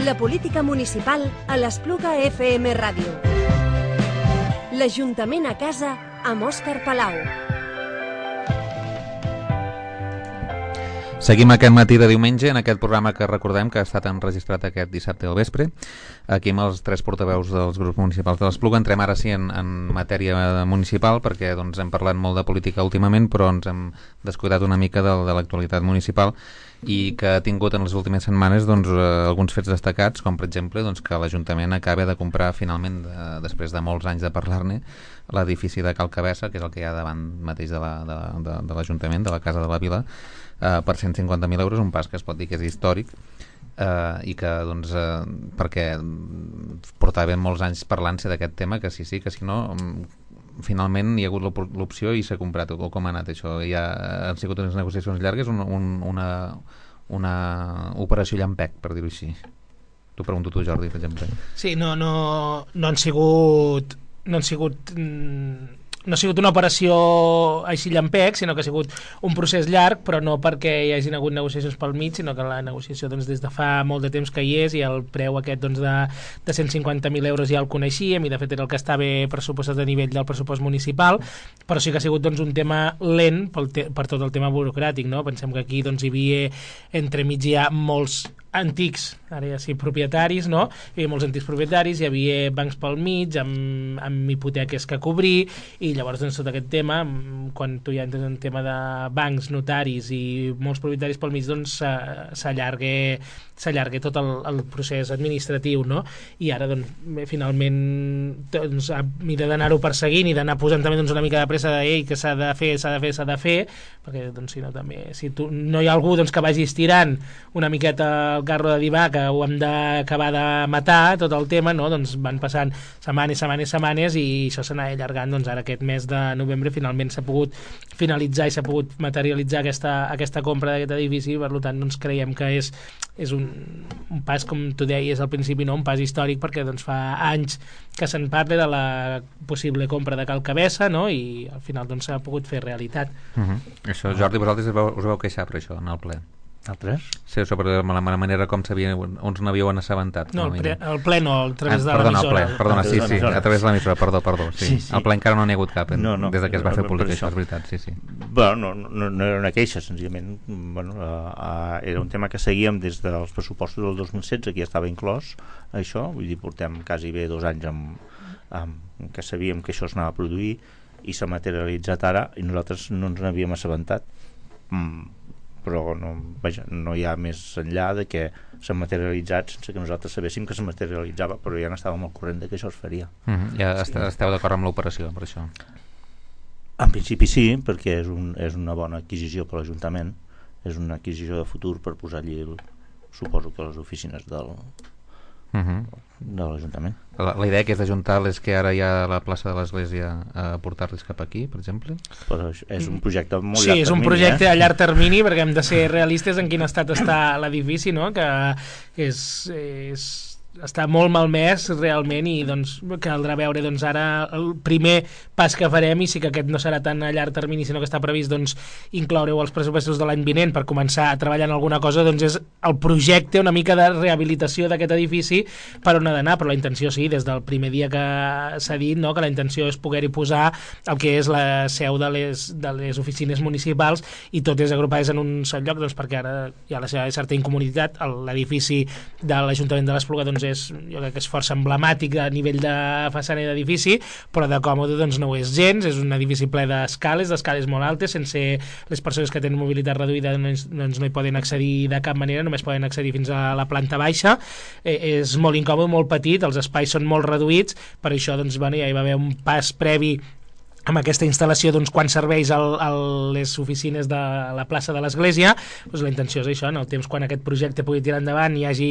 La política municipal a l'Espluga F M Ràdio. L'Ajuntament a casa amb Òscar Palau. Seguim aquest matí de diumenge en aquest programa que recordem que ha estat enregistrat aquest dissabte al vespre. Aquí amb els tres portaveus dels grups municipals de l'Espluga. Entrem ara sí en, en matèria municipal perquè doncs, hem parlat molt de política últimament, però ens hem descuidat una mica de, de l'actualitat municipal i que ha tingut en les últimes setmanes doncs, eh, alguns fets destacats, com per exemple doncs, que l'Ajuntament acaba de comprar finalment, de, després de molts anys de parlar-ne, l'edifici de Cal Cabessa, que és el que hi ha davant mateix de l'Ajuntament, de, de, de l'Ajuntament, de la Casa de la Vila, eh, per cent cinquanta mil euros, un pas que es pot dir que és històric, eh, i que doncs, eh, perquè portàvem molts anys parlant-se d'aquest tema, que sí, sí, que si no... finalment hi ha hagut l'opció i s'ha comprat, o com ha anat això? Ja han sigut unes negociacions llargues, un, un, una, una operació llampec, per dir-ho així. T'ho pregunto tu, Jordi, per exemple. Sí, no, no, no han sigut no han sigut no ha sigut una operació així llampec, sinó que ha sigut un procés llarg, però no perquè hi hagin hagut negociacions pel mig, sinó que la negociació doncs, des de fa molt de temps que hi és, i el preu aquest doncs, de, de cent cinquanta mil euros ja el coneixíem, i de fet era el que estava pressupostat a nivell del pressupost municipal, però sí que ha sigut doncs, un tema lent pel te per tot el tema burocràtic, no? Pensem que aquí doncs, hi havia entremig hi ha molts antics, ara ja sí, propietaris, no? Hi havia molts antics propietaris, hi havia bancs pel mig, amb, amb hipoteques que cobrir, i llavors doncs, tot aquest tema, quan tu ja entres en tema de bancs, notaris i molts propietaris pel mig, doncs s'allarga s'allarga tot el, el procés administratiu, no? I ara doncs, finalment doncs, a mida d'anar-ho perseguint i d'anar posant també doncs, una mica de pressa de que s'ha de fer, s'ha de fer, s'ha de fer, perquè doncs, si no també, si tu, no hi ha algú doncs, que vagi estirant una miqueta el carro de dir que ho hem d'acabar de matar, tot el tema, no? Doncs van passant setmanes, setmanes, setmanes, i això s'anà allargant, doncs ara aquest mes de novembre finalment s'ha pogut finalitzar i s'ha pogut materialitzar aquesta, aquesta compra d'aquest edifici, per tant doncs creiem que és, és un, un pas, com tu deies al principi, no? Un pas històric, perquè doncs fa anys que se'n parla de la possible compra de Cal Cabessa, no? I al final doncs s'ha pogut fer realitat. Uh -huh. Això, Jordi, vosaltres us vau, us vau queixar per això en el ple? Altres? Sí, sobre la manera com s'havia, uns n'havíeu assabentat. No, el, pre, el ple no, a través ah, de perdona, l'emissora. Ple, perdona, sí, sí, a través de l'emissora, perdó, perdó. Sí. Sí, sí. El ple encara no n'hi ha hagut cap, no, no, des de que es va fer públic, això això és veritat, sí, sí. Bueno, no, no, no era una queixa, senzillament, bueno, uh, uh, era un tema que seguíem des dels pressupostos del dos mil setze, que ja estava inclòs, això, vull dir, portem quasi bé dos anys amb, amb que sabíem que això s'anava a produir, i s'ha materialitzat ara, i nosaltres no ens n'havíem assabentat. Mm. però no, vaja, no hi ha més enllà de que s'ha materialitzat sense que nosaltres sabéssim que es materialitzava, però ja n'estàvem al corrent de que això es faria. Mm-hmm. Ja sí. Esteu d'acord amb l'operació per això? En principi sí, perquè és, un, és una bona adquisició per l'Ajuntament, és una adquisició de futur per posar allí el, suposo que les oficines del uh-huh. de l'Ajuntament. La, la idea que és d'ajuntar és que ara hi ha la plaça de l'Església a portar-los cap aquí, per exemple? Però és un projecte molt sí, llarg termini. Sí, és un projecte eh? a llarg termini, perquè hem de ser realistes en quin estat està l'edifici, no? Que és... és està molt malmès realment i doncs caldrà veure doncs ara el primer pas que farem, i sí que aquest no serà tan a llarg termini sinó que està previst doncs incloure-ho als pressupostos de l'any vinent per començar a treballar en alguna cosa, doncs és el projecte una mica de rehabilitació d'aquest edifici per on ha d'anar, però la intenció sí, des del primer dia que s'ha dit, no? Que la intenció és poder-hi posar el que és la seu de les, de les oficines municipals i totes agrupades en un sol lloc, doncs perquè ara hi ha la seva certa incomoditat. L'edifici de l'Ajuntament de l'Espluga doncs és, jo crec que és força emblemàtic a nivell de façana i d'edifici, però de còmode doncs no ho és gens, és un edifici ple d'escales, d'escales molt altes, sense les persones que tenen mobilitat reduïda doncs, doncs no hi poden accedir de cap manera, només poden accedir fins a la planta baixa, eh, és molt incòmode, molt petit, els espais són molt reduïts, per això doncs, bueno, ja hi va haver un pas previ amb aquesta instal·lació doncs, quan serveix el, el, les oficines de la plaça de l'Església, doncs la intenció és això, en el temps quan aquest projecte pugui tirar endavant i hi hagi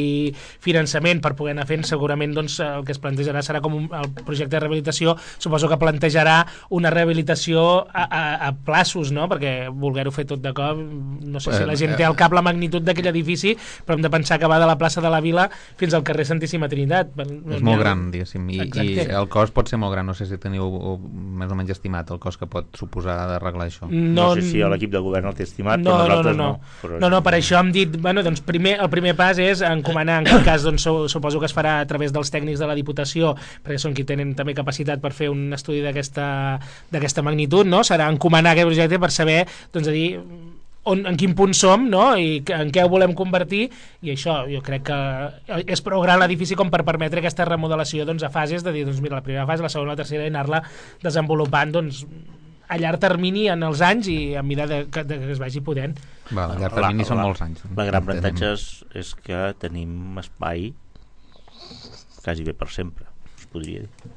finançament per poder anar fent, segurament doncs, el que es plantejarà serà com un, el projecte de rehabilitació, suposo que plantejarà una rehabilitació a, a, a plaços, no? Perquè voler-ho fer tot de cop, no sé si la gent té al cap la magnitud d'aquell edifici, però hem de pensar que va de la plaça de la Vila fins al carrer Santíssima Trinitat. És molt gran, diguéssim, i, i el cost pot ser molt gran, no sé si teniu més o menys estimat el cost que pot suposar d'arreglar això. No, no sé si l'equip de govern el té estimat, no, però nosaltres no. No, no. Però no, no, per això hem dit, bueno, doncs primer, el primer pas és encomanar, en aquest cas doncs, suposo que es farà a través dels tècnics de la Diputació, perquè són qui tenen també capacitat per fer un estudi d'aquesta magnitud, no? Serà encomanar aquest projecte per saber, doncs, a dir, on, en quin punt som, no? I en què ho volem convertir, i això jo crec que és prou gran l'edifici com per permetre aquesta remodelació doncs, a fases, de dir, doncs mira, la primera fase, la segona, la tercera, i anar-la desenvolupant doncs, a llarg termini en els anys i a mesura de, de, de que es vagi podent. Va, a llarg termini la, són la, molts anys. La gran avantatge és, és que tenim espai quasi bé per sempre, es podria dir.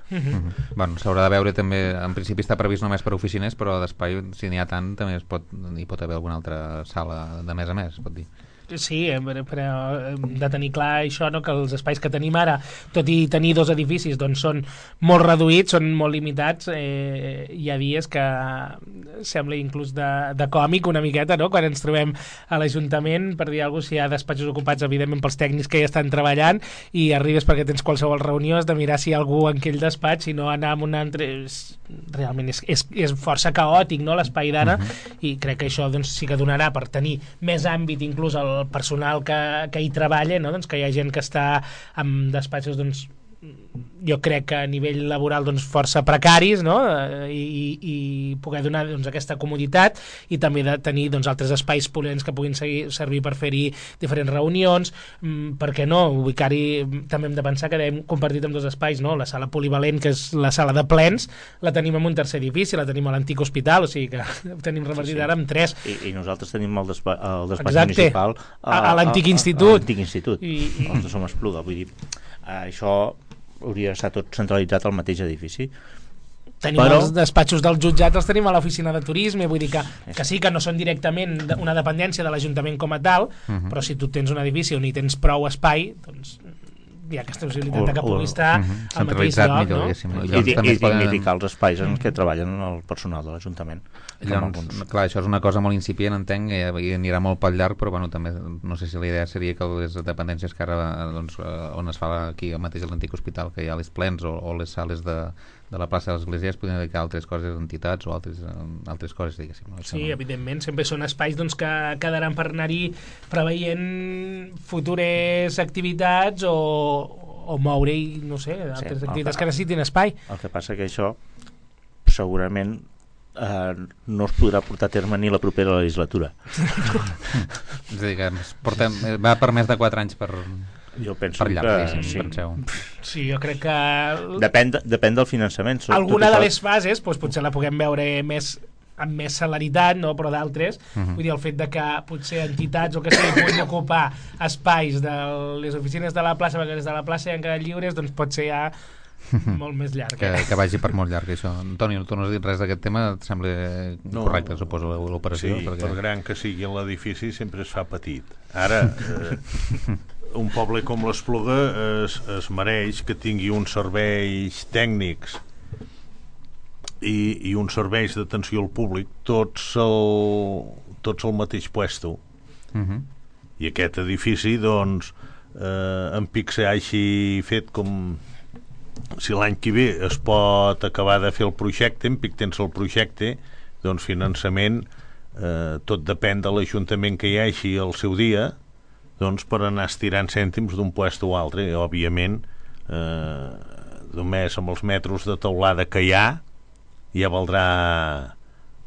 Mm-hmm. Bueno, s'haurà de veure també, en principi està previst només per oficines, però d'espai, si n'hi ha tant, també es pot, hi pot haver alguna altra sala de més a més, es pot dir. Sí, però hem de tenir clar això, no? Que els espais que tenim ara, tot i tenir dos edificis, doncs són molt reduïts, són molt limitats. Eh, hi ha dies que sembla inclús de, de còmic una miqueta, no? Quan ens trobem a l'Ajuntament, per dir alguna cosa, si hi ha despatxos ocupats, evidentment pels tècnics que ja estan treballant, i arribes perquè tens qualsevol reunió, has de mirar si hi ha algú en aquell despatx, si no anar amb un altre... Realment és, és, és força caòtic, no?, l'espai d'ara, uh-huh. I crec que això doncs, sí que donarà per tenir més àmbit inclús al el personal que, que hi treballa, no? Doncs que hi ha gent que està amb despatxos doncs, jo crec que a nivell laboral doncs, força precaris, no? I, i poder donar doncs, aquesta comoditat i també de tenir doncs, altres espais polents que puguin seguir, servir per fer-hi diferents reunions, mm, per què no? Ubicar-hi, també hem de pensar que hem compartit amb dos espais, no? La sala polivalent, que és la sala de plens, la tenim en un tercer edifici, la tenim a l'antic hospital, o sigui que ho tenim revertit sí, sí. Ara amb tres. I, i nosaltres tenim el, despa el despatx municipal a, a l'antic institut. A l'antic institut, I, i... els som Espluga, vull dir, això hauria d'estar tot centralitzat al mateix edifici. Tenim però... els despatxos dels jutjats, els tenim a l'oficina de turisme, vull dir que, que sí que no són directament una dependència de l'Ajuntament com a tal, uh-huh. Però si tu tens un edifici on hi tens prou espai, doncs hi ha aquesta possibilitat que pugui estar uh-huh. al mateix lloc, millor, no? I, i, i dignificar els espais en què treballen el personal de l'Ajuntament. Llavors, clar, això és una cosa molt incipient, entenc, i, i anirà molt pel llarg, però bueno, també no sé si la idea seria que les dependències que ara, doncs, on es fa aquí mateix a l'antic hospital, que hi ha les plens o, o les sales de, de la plaça de l'Església, es podien dedicar a altres coses, entitats o altres, altres coses, diguéssim. No? Sí, no... evidentment, sempre són espais doncs, que quedaran per anar-hi preveient futures activitats o, o moure-hi, no sé, altres sí, activitats que, que necessitin espai. El que passa que això segurament Uh, no es podrà portar a terme ni la propera legislatura. És a dir, que portem, va per més de quatre anys per, jo penso per llarg, que sí. Penseu. Sí, jo crec que... Depèn, de, depèn del finançament. Alguna de les fases doncs, potser la puguem veure més amb més celeritat, no? Però d'altres, uh-huh. vull dir, el fet de que potser entitats o que sigui puguin ocupar espais de les oficines de la plaça, perquè des de la plaça hi han quedat lliures, doncs pot ser ja molt més llarg. Que, que vagi per molt llarg, això. Antoni, tu no has dit res d'aquest tema, et sembla no, correcte, suposo, l'operació? Sí, perquè... per gran que sigui l'edifici sempre es fa petit. Ara, eh, un poble com l'Espluga es, es mereix que tingui uns serveis tècnics i, i uns serveis d'atenció al públic tots al, tots al mateix puesto. Uh-huh. I aquest edifici, doncs, eh, en Pixar així fet com... Si l'any que ve es pot acabar de fer el projecte, en Pictens el projecte, doncs finançament, eh, tot depèn de l'Ajuntament que hi hagi al seu dia, doncs per anar estirant cèntims d'un puesto a altre. I, òbviament, eh, només amb els metres de teulada que hi ha, ja valdrà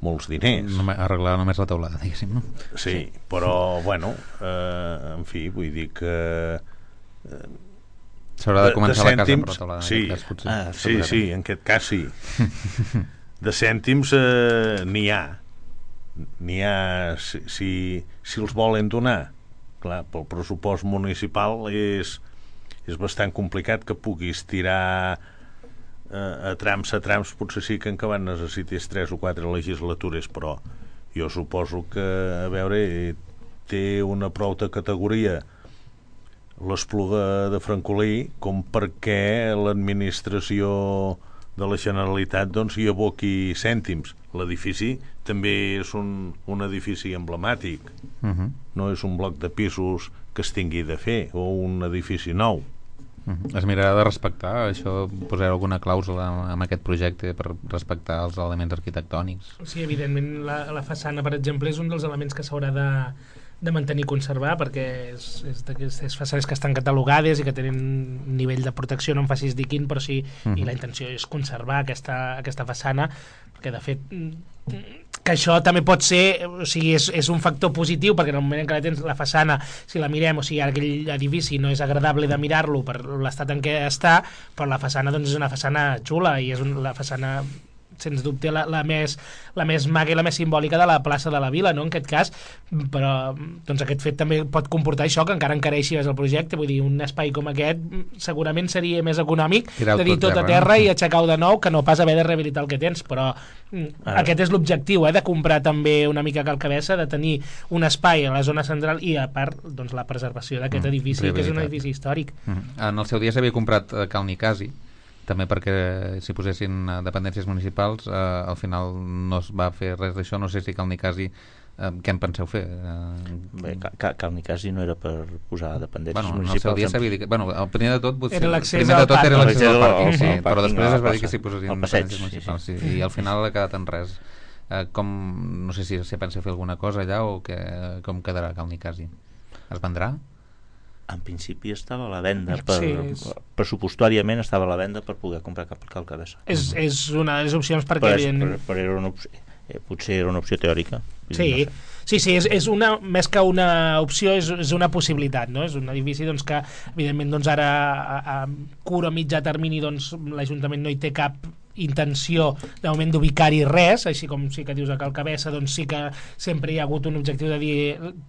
molts diners. Només, arreglar només la teulada, diguéssim, no? Sí, però, bueno, eh, en fi, vull dir que... Eh, s'haurà de començar de, de la casa per teulada, sí, en aquest cas, potser. Ah, sí, sí, en aquest cas sí. De cèntims eh, n'hi ha. N'hi ha si, si, si els volen donar. Clar, pel pressupost municipal és, és bastant complicat que puguis tirar eh, a trams a trams, potser sí que en acabat necessites tres o quatre legislatures, però jo suposo que, a veure, té una prou de categoria l'Espluga de Francolí com perquè l'administració de la Generalitat doncs hi aboqui cèntims. L'edifici també és un, un edifici emblemàtic, uh-huh. no és un bloc de pisos que es tingui de fer o un edifici nou. Uh-huh. Es mirarà de respectar això, posarà alguna clàusula en aquest projecte per respectar els elements arquitectònics? Sí, evidentment la, la façana, per exemple, és un dels elements que s'haurà de de mantenir i conservar, perquè és, és d'aquestes façanes que estan catalogades i que tenen un nivell de protecció, no em facis dir quin, però sí, uh-huh. i la intenció és conservar aquesta, aquesta façana, perquè de fet que això també pot ser, o sigui, és, és un factor positiu, perquè en el moment en què la tens la façana, si la mirem, o sigui, aquell edifici no és agradable de mirar-lo per l'estat en què està, però la façana doncs és una façana xula i és un, la façana sens dubte la, la, més, la més maga i la més simbòlica de la plaça de la Vila, no? En aquest cas, però doncs aquest fet també pot comportar això, que encara encareixi més el projecte. Vull dir, un espai com aquest segurament seria més econòmic de dir tot a terra i aixecar-ho de nou que no pas haver de rehabilitar el que tens, però ah. aquest és l'objectiu, eh, de comprar també una mica calcabessa, de tenir un espai a la zona central i a part doncs, la preservació d'aquest mm, edifici, que és un edifici històric. Mm. En el seu dia s'havia comprat eh, Cal Nicasi, també perquè si posessin dependències municipals eh, al final no es va fer res d'això. No sé si Cal Nicasi eh, què en penseu fer? Eh, Bé, Cal Nicasi no era per posar dependències bueno, municipals. No, el seu dia s'havia dit que, bueno, el primer de tot, potser, era l'accés primer de tot era l'accés al pàrquing, sí, sí, però després es va dir passa, que s'hi posessin dependències municipals, sí, sí, i al final ha quedat en res. Eh, com, no sé si se pensa fer alguna cosa allà o que, com quedarà Cal Nicasi? Es vendrà? En principi estava a la venda per, sí, és... pressupostàriament estava a la venda per poder comprar cap calcabessa. És, és una de les opcions perquè però, és, però, però era una opció, eh, potser era una opció teòrica. Sí, no sé. sí, sí és, és una, més que una opció és, és una possibilitat, no? És un edifici doncs, que evidentment doncs, ara a, a curt o mitjà termini doncs, l'Ajuntament no hi té cap intenció de moment d'ubicar-hi res, així com sí que dius a Calcabessa, doncs sí que sempre hi ha hagut un objectiu de dir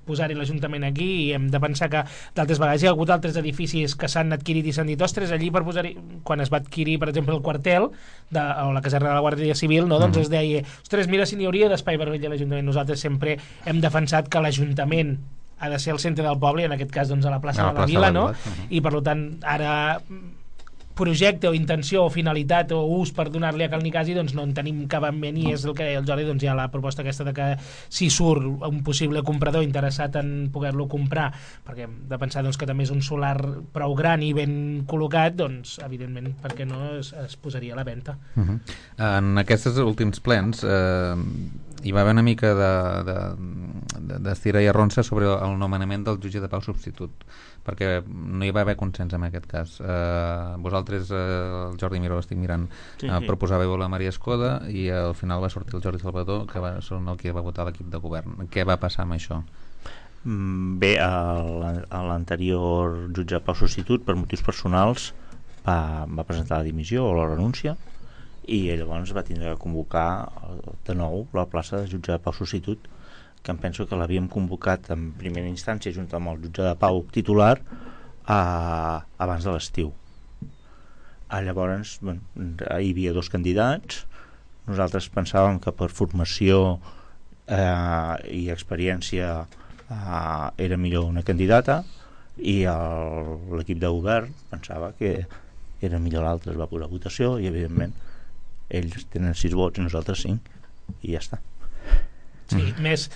posar-hi l'Ajuntament aquí, i hem de pensar que d'altres vegades hi ha hagut altres edificis que s'han adquirit i s'han dit, ostres, allí per posar-hi, quan es va adquirir per exemple el quartel de, o la caserna de la Guàrdia Civil, no? Doncs es deia, ostres, mira si n'hi hauria d'espai vermell a l'Ajuntament. Nosaltres sempre hem defensat que l'Ajuntament ha de ser el centre del poble, i en aquest cas doncs a la plaça a la de la Vila, no? Uh-huh. I per tant ara projecte o intenció o finalitat o ús per donar-li a Cal Nicasi doncs no en tenim cap en ment, i és el que deia el Jordi, doncs hi ha la proposta aquesta de que si surt un possible comprador interessat en poder-lo comprar, perquè hem de pensar doncs, que també és un solar prou gran i ben col·locat, doncs evidentment perquè no es, es posaria a la venda. Uh-huh. En aquests últims plens eh, hi va haver una mica de, de, de, d'estira i arronsa sobre el nomenament del jutge de pau substitut, perquè no hi va haver consens en aquest cas. Eh, vosaltres, eh, el Jordi Miró, estic mirant, sí, sí. Eh, proposàveu la Maria Escoda i al final va sortir el Jordi Salvador, que va, són el que va votar l'equip de govern. Què va passar amb això? Bé, l'anterior jutge de pau substitut per motius personals va, va presentar la dimissió o la renúncia, i llavors va tindre que convocar de nou la plaça de jutge de pau substitut, que em penso que l'havíem convocat en primera instància junt amb el jutge de pau titular a, abans de l'estiu. Ah, llavors, bueno, hi havia dos candidats. Nosaltres pensàvem que per formació eh, i experiència eh, era millor una candidata, i l'equip de govern pensava que era millor l'altre. Es va posar a votació i evidentment ells tenen sis vots i nosaltres cinc, i ja està. Sí, més,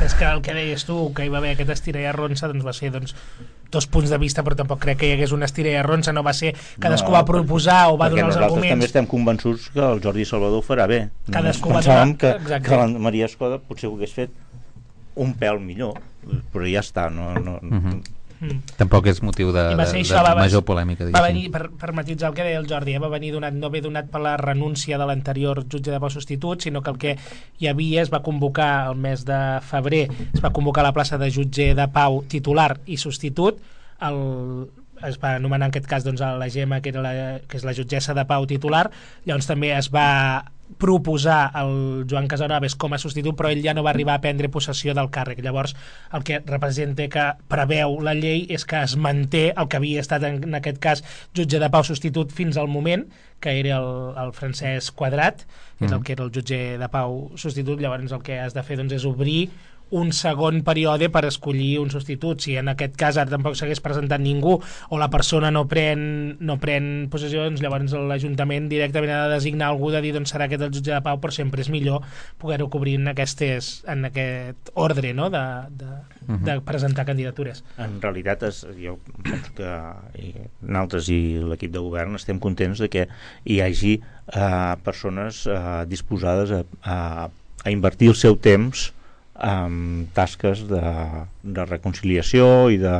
més que el que deies tu, que hi va haver aquest estira i arronsa, doncs va ser doncs, dos punts de vista, però tampoc crec que hi hagués una estira i arronsa, no va ser cadascú no, va proposar o va donar els arguments. Nosaltres també estem convençuts que el Jordi Salvador ho farà bé. Cadascú va pensàvem donar... que, Exacte. que la Maria Escoda potser ho hagués fet un pèl millor, però ja està, no... no mm-hmm. Mm. Tampoc és motiu de, de, això, de va, major polèmica, va venir, per, per matitzar el que deia el Jordi, eh? Va venir donat, no ve donat per la renúncia de l'anterior jutge de pau substitut, sinó que el que hi havia es va convocar el mes de febrer, es va convocar la plaça de jutge de pau titular i substitut. El, es va anomenar en aquest cas doncs, la Gemma, que, era la, que és la jutgessa de pau titular. Llavors també es va proposar el Joan Casanovas com a substitut, però ell ja no va arribar a prendre possessió del càrrec. Llavors el que representa, que preveu la llei, és que es manté el que havia estat en, en aquest cas jutge de pau substitut fins al moment, que era el, el Francesc Quadrat, és mm. el que era el jutge de pau substitut. Llavors el que has de fer doncs, és obrir un segon període per escollir un substitut. Si en aquest cas ara tampoc s'hagués presentat ningú o la persona no pren, no pren possessions, llavors l'Ajuntament directament ha de designar algú, de dir doncs serà aquest el jutge de pau, però sempre és millor poder-ho cobrir en, aquestes, en aquest ordre, no? de, de, uh-huh. de presentar candidatures. En realitat és, jo penso que i nosaltres i l'equip de govern estem contents de que hi hagi eh, persones eh, disposades a, a, a invertir el seu temps amb tasques de, de reconciliació i de,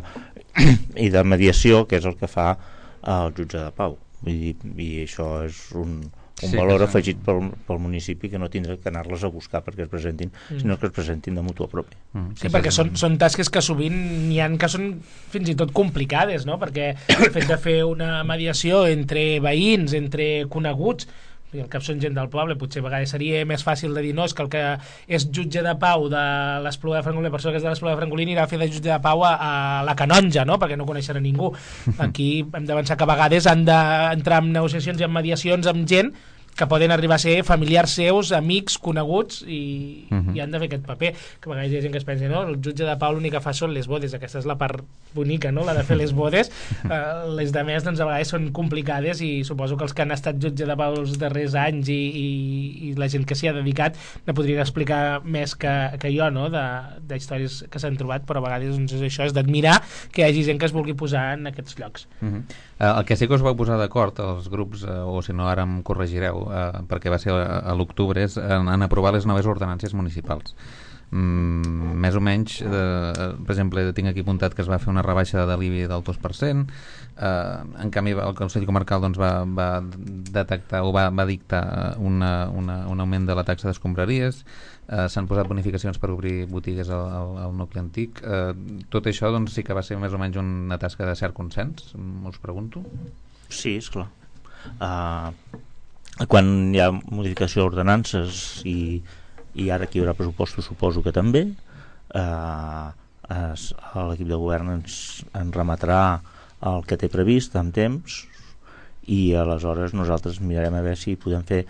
i de mediació, que és el que fa el jutge de pau. Vull dir, i això és un, un sí, valor afegit pel, pel municipi, que no tindrà que anar-les a buscar perquè es presentin, mm. sinó que es presentin de mutua propi. Mm. Sí, perquè són, són tasques que sovint n'hi ha que són fins i tot complicades, no? Perquè el fet de fer una mediació entre veïns, entre coneguts, i el cap són gent del poble, potser a vegades seria més fàcil de dir, no, és que el que és jutge de pau de l'Espluga de Francolí, la persona que és de l'Espluga de Francolí anirà a fer de jutge de pau a, a la Canonja, no? Perquè no coneixerà ningú. Aquí hem d'avançar que a vegades han d'entrar en negociacions i en mediacions amb gent que poden arribar a ser familiars seus, amics, coneguts, i, uh-huh. i han de fer aquest paper, que a vegades hi ha gent que es pensa, no, el jutge de pau l'únic que fa són les bodes, aquesta és la part bonica, no?, la de fer les bodes. uh, les de més, doncs, a vegades són complicades, i suposo que els que han estat jutge de pau els darrers anys i, i, i la gent que s'hi ha dedicat ne podrien explicar més que, que jo, no?, de, de històries que s'han trobat, però a vegades doncs, això és d'admirar que hi hagi gent que es vulgui posar en aquests llocs. Uh-huh. uh, el que sí que us vau posar d'acord els grups, uh, o si no ara em corregireu, Uh, perquè va ser a, a l'octubre, és en, en aprovar les noves ordenàncies municipals. Mm, més o menys, eh, per exemple, tinc aquí apuntat que es va fer una rebaixa de l'I B I del dos per cent, eh, en canvi el Consell Comarcal doncs, va, va detectar o va, va dictar una, una, un augment de la taxa d'escombraries, eh, s'han posat bonificacions per obrir botigues al, al, al nucli antic. Eh, tot això doncs, sí que va ser més o menys una tasca de cert consens, us pregunto. Sí, esclar. Uh, quan hi ha modificació d'ordenances i, i ara aquí hi haurà pressupostos, suposo que també, eh, es, l'equip de govern ens, ens remetrà el que té previst amb temps, i aleshores nosaltres mirarem a veure si podem fer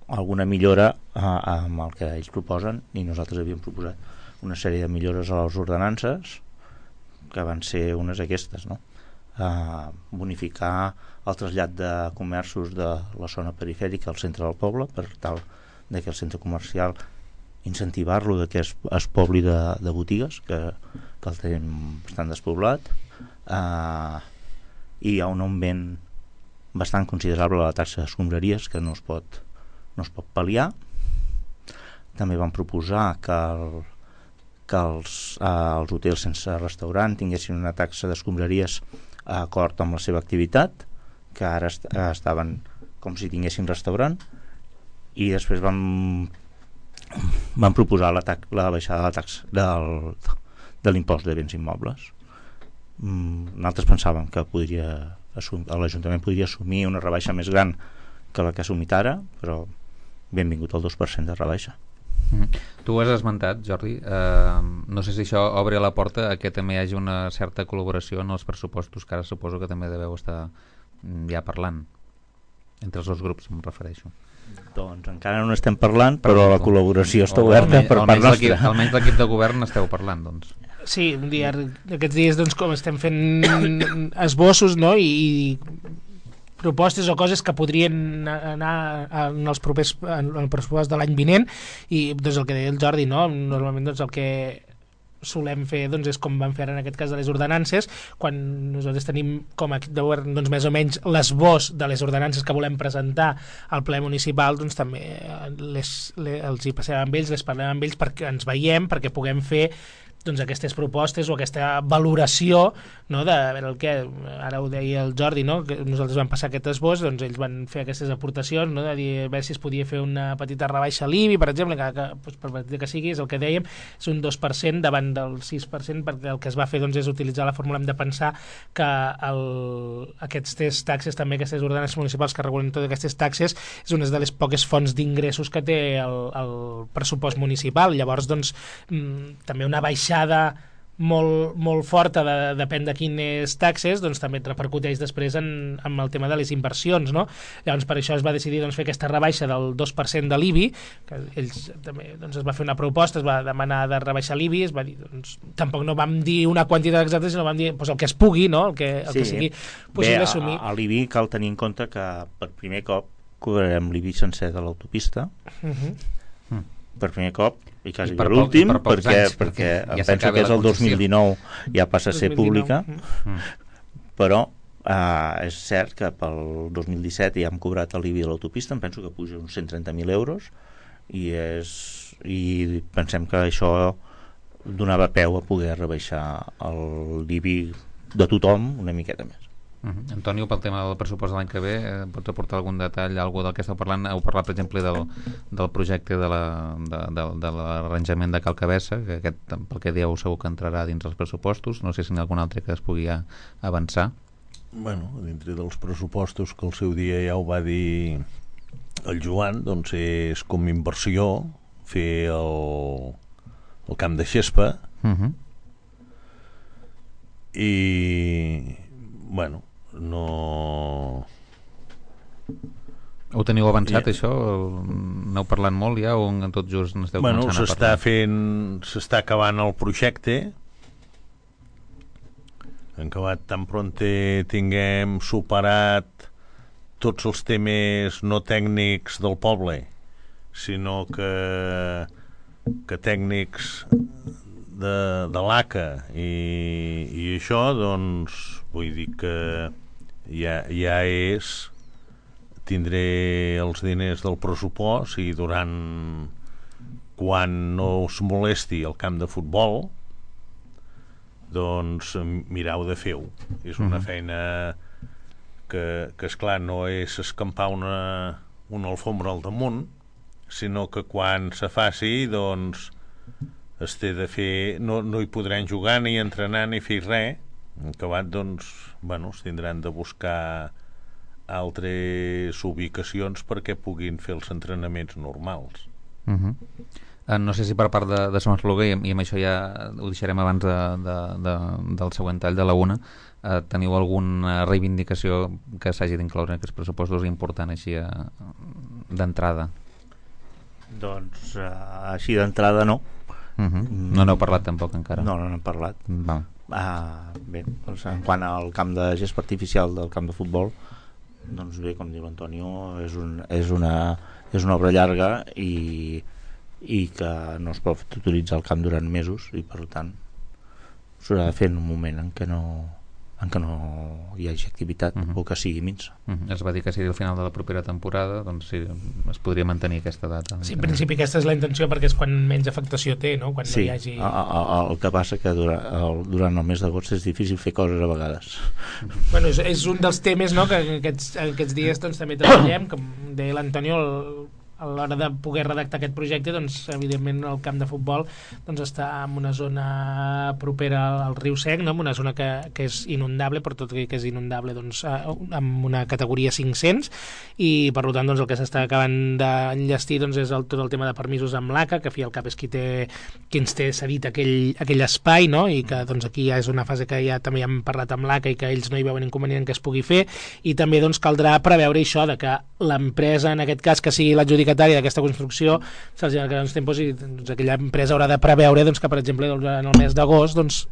alguna millora eh, amb el que ells proposen, i nosaltres havíem proposat una sèrie de millores a les ordenances que van ser unes aquestes, no? Uh, bonificar el trasllat de comerços de la zona perifèrica al centre del poble, per tal de que el centre comercial incentivar-lo de que es, es pobli de, de botigues, que, que el tenim bastant despoblat. Uh, i hi ha un augment bastant considerable a la taxa d'escombraries que no es pot, no es pot pal·liar. També vam proposar que el, que els, uh, els hotels sense restaurant tinguessin una taxa d'escombraries a acord amb la seva activitat, que ara est estaven com si tinguessin restaurant, i després vam vam proposar la, la baixada de la taxa del, de l'impost de béns immobles. Mm, nosaltres pensàvem que podria l'Ajuntament podria assumir una rebaixa més gran que la que ha assumit ara, però benvingut al dos per cent de rebaixa. Mm. Tu ho has esmentat, Jordi, uh, no sé si això obre la porta a que també hi hagi una certa col·laboració en els pressupostos, que ara suposo que també deveu estar ja parlant entre els dos grups, em refereixo. Doncs encara no estem parlant, però la col·laboració està oberta per part nostra. Almenys l'equip de govern esteu parlant, doncs. Sí, un dia, aquests dies doncs, com estem fent esbossos, no? I, i propostes o coses que podrien anar en els propers, en el pressupost de l'any vinent, i doncs el que deia el Jordi, no? Normalment doncs el que solem fer doncs, és com vam fer en aquest cas de les ordenances, quan nosaltres tenim com a equip de govern doncs, més o menys l'esbós de les ordenances que volem presentar al ple municipal, doncs també les, les, els hi passem amb ells, les parlem amb ells perquè ens veiem, perquè puguem fer doncs, aquestes propostes o aquesta valoració, no, de a veure el que ara ho deia el Jordi, no, que nosaltres vam passar aquest esbós, doncs ells van fer aquestes aportacions, no, de dir a veure si es podia fer una petita rebaixa a l'I B I, per exemple, que, que doncs, per petita que sigui, és el que dèiem, és un dos per cent davant del sis per cent, perquè el que es va fer doncs, és utilitzar la fórmula, hem de pensar que el, aquestes taxes, també aquestes ordenances municipals que regulen totes aquestes taxes, és una de les poques fonts d'ingressos que té el, el pressupost municipal. Llavors, doncs, també una baixa molt, molt forta de, depèn de quines taxes, doncs també et repercuteix després en, en el tema de les inversions, no? Llavors per això es va decidir doncs, fer aquesta rebaixa del dos per cent de l'I B I, que ells també doncs, es va fer una proposta, es va demanar de rebaixar l'I B I, es va dir, doncs, tampoc no vam dir una quantitat exacta, sinó vam dir doncs, el que es pugui, no? El que, el sí. que sigui possible Bé, assumir. A, a l'I B I cal tenir en compte que per primer cop cobrarem l'I B I sencer de l'autopista, uh-huh. mm. per primer cop, i quasi I per, per l'últim, poc, per perquè, anys, perquè ja em penso que és el dos mil dinou, ja passa a ser pública, mm. però eh, és cert que pel dos mil disset ja hem cobrat l'I B I a l'autopista, em penso que puja uns cent trenta mil euros, i, és, i pensem que això donava peu a poder rebaixar l'I B I de tothom una miqueta més. Uh-huh. Antonio, pel tema del pressupost de l'any que ve, eh, pots aportar algun detall, algú del que esteu parlant? Heu parlat, per exemple, del, del projecte de l'arranjament de, de, de Cal Cabessa, que aquest, pel que dieu, segur que entrarà dins els pressupostos. No sé si n'hi ha algun altre que es pugui avançar. Bueno, dintre dels pressupostos que al seu dia ja ho va dir el Joan, doncs és com inversió fer el, el camp de Xespa, uh-huh. i bueno, no... Ho teniu avançat, ja. Això? N'heu parlat molt ja o en tot just n'esteu bueno, començant a s'està parlar? fent, s'està acabant el projecte, en acabat tan pronte tinguem superat tots els temes no tècnics del poble, sinó que, que tècnics de, de l'A C A i, i això, doncs vull dir que ja, ja és tindré els diners del pressupost i durant quan no us molesti el camp de futbol doncs mireu de fer-ho. És una feina que, que esclar no és escampar una, una alfombra al damunt, sinó que quan se faci doncs es té de fer, no, no hi podran jugar ni entrenar ni fer res. En acabat, doncs, bueno, es tindran de buscar altres ubicacions perquè puguin fer els entrenaments normals. Uh-huh. Uh, no sé si per part de, de Som Espluga, i, i amb això ja ho deixarem abans de, de, de, del següent tall de la una, uh, teniu alguna reivindicació que s'hagi d'incloure en aquests pressupostos important així uh, d'entrada? Doncs uh, així d'entrada no. Uh-huh. No n'heu parlat tampoc encara? No, no n'hem parlat. Va. Uh, bé, doncs, en quant al camp de gespa artificial del camp de futbol, doncs bé, com diu l'Antonio, és, un, és, una, és una obra llarga i, i que no es pot utilitzar el camp durant mesos i per tant s'haurà de fer en un moment en què no, en què no hi hagi activitat uh-huh. o que sigui minsa. Uh-huh. Es va dir que seria el final de la propera temporada, doncs sí, es podria mantenir aquesta data. Sí, en principi aquesta és la intenció perquè és quan menys afectació té, no? Quan sí, no hi hagi... a, a, el que passa que durant el, durant el mes d'agost és difícil fer coses a vegades. Bueno, és, és un dels temes, no?, que aquests, aquests dies doncs, també treballem, com deia l'Antonio, el, a l'hora de poder redactar aquest projecte, doncs, evidentment el camp de futbol doncs, està en una zona propera al riu Sec, no? En una zona que, que és inundable, per tot que és inundable doncs, amb una categoria cinc-cents, i per tant doncs, el que s'està acabant d'enllestir doncs, és el, tot el tema de permisos amb l'A C A, que a fi al cap és qui, té, qui ens té cedit aquell, aquell espai, no? I que doncs, aquí ja és una fase que ja també hem parlat amb l'A C A i que ells no hi veuen inconvenient que es pugui fer, i també doncs, caldrà preveure això, de que l'empresa, en aquest cas, que sigui l'adjudicatària d'aquesta construcció, se'ls ha de quedar uns tempos i doncs, aquella empresa haurà de preveure doncs, que, per exemple, doncs, en el mes d'agost doncs,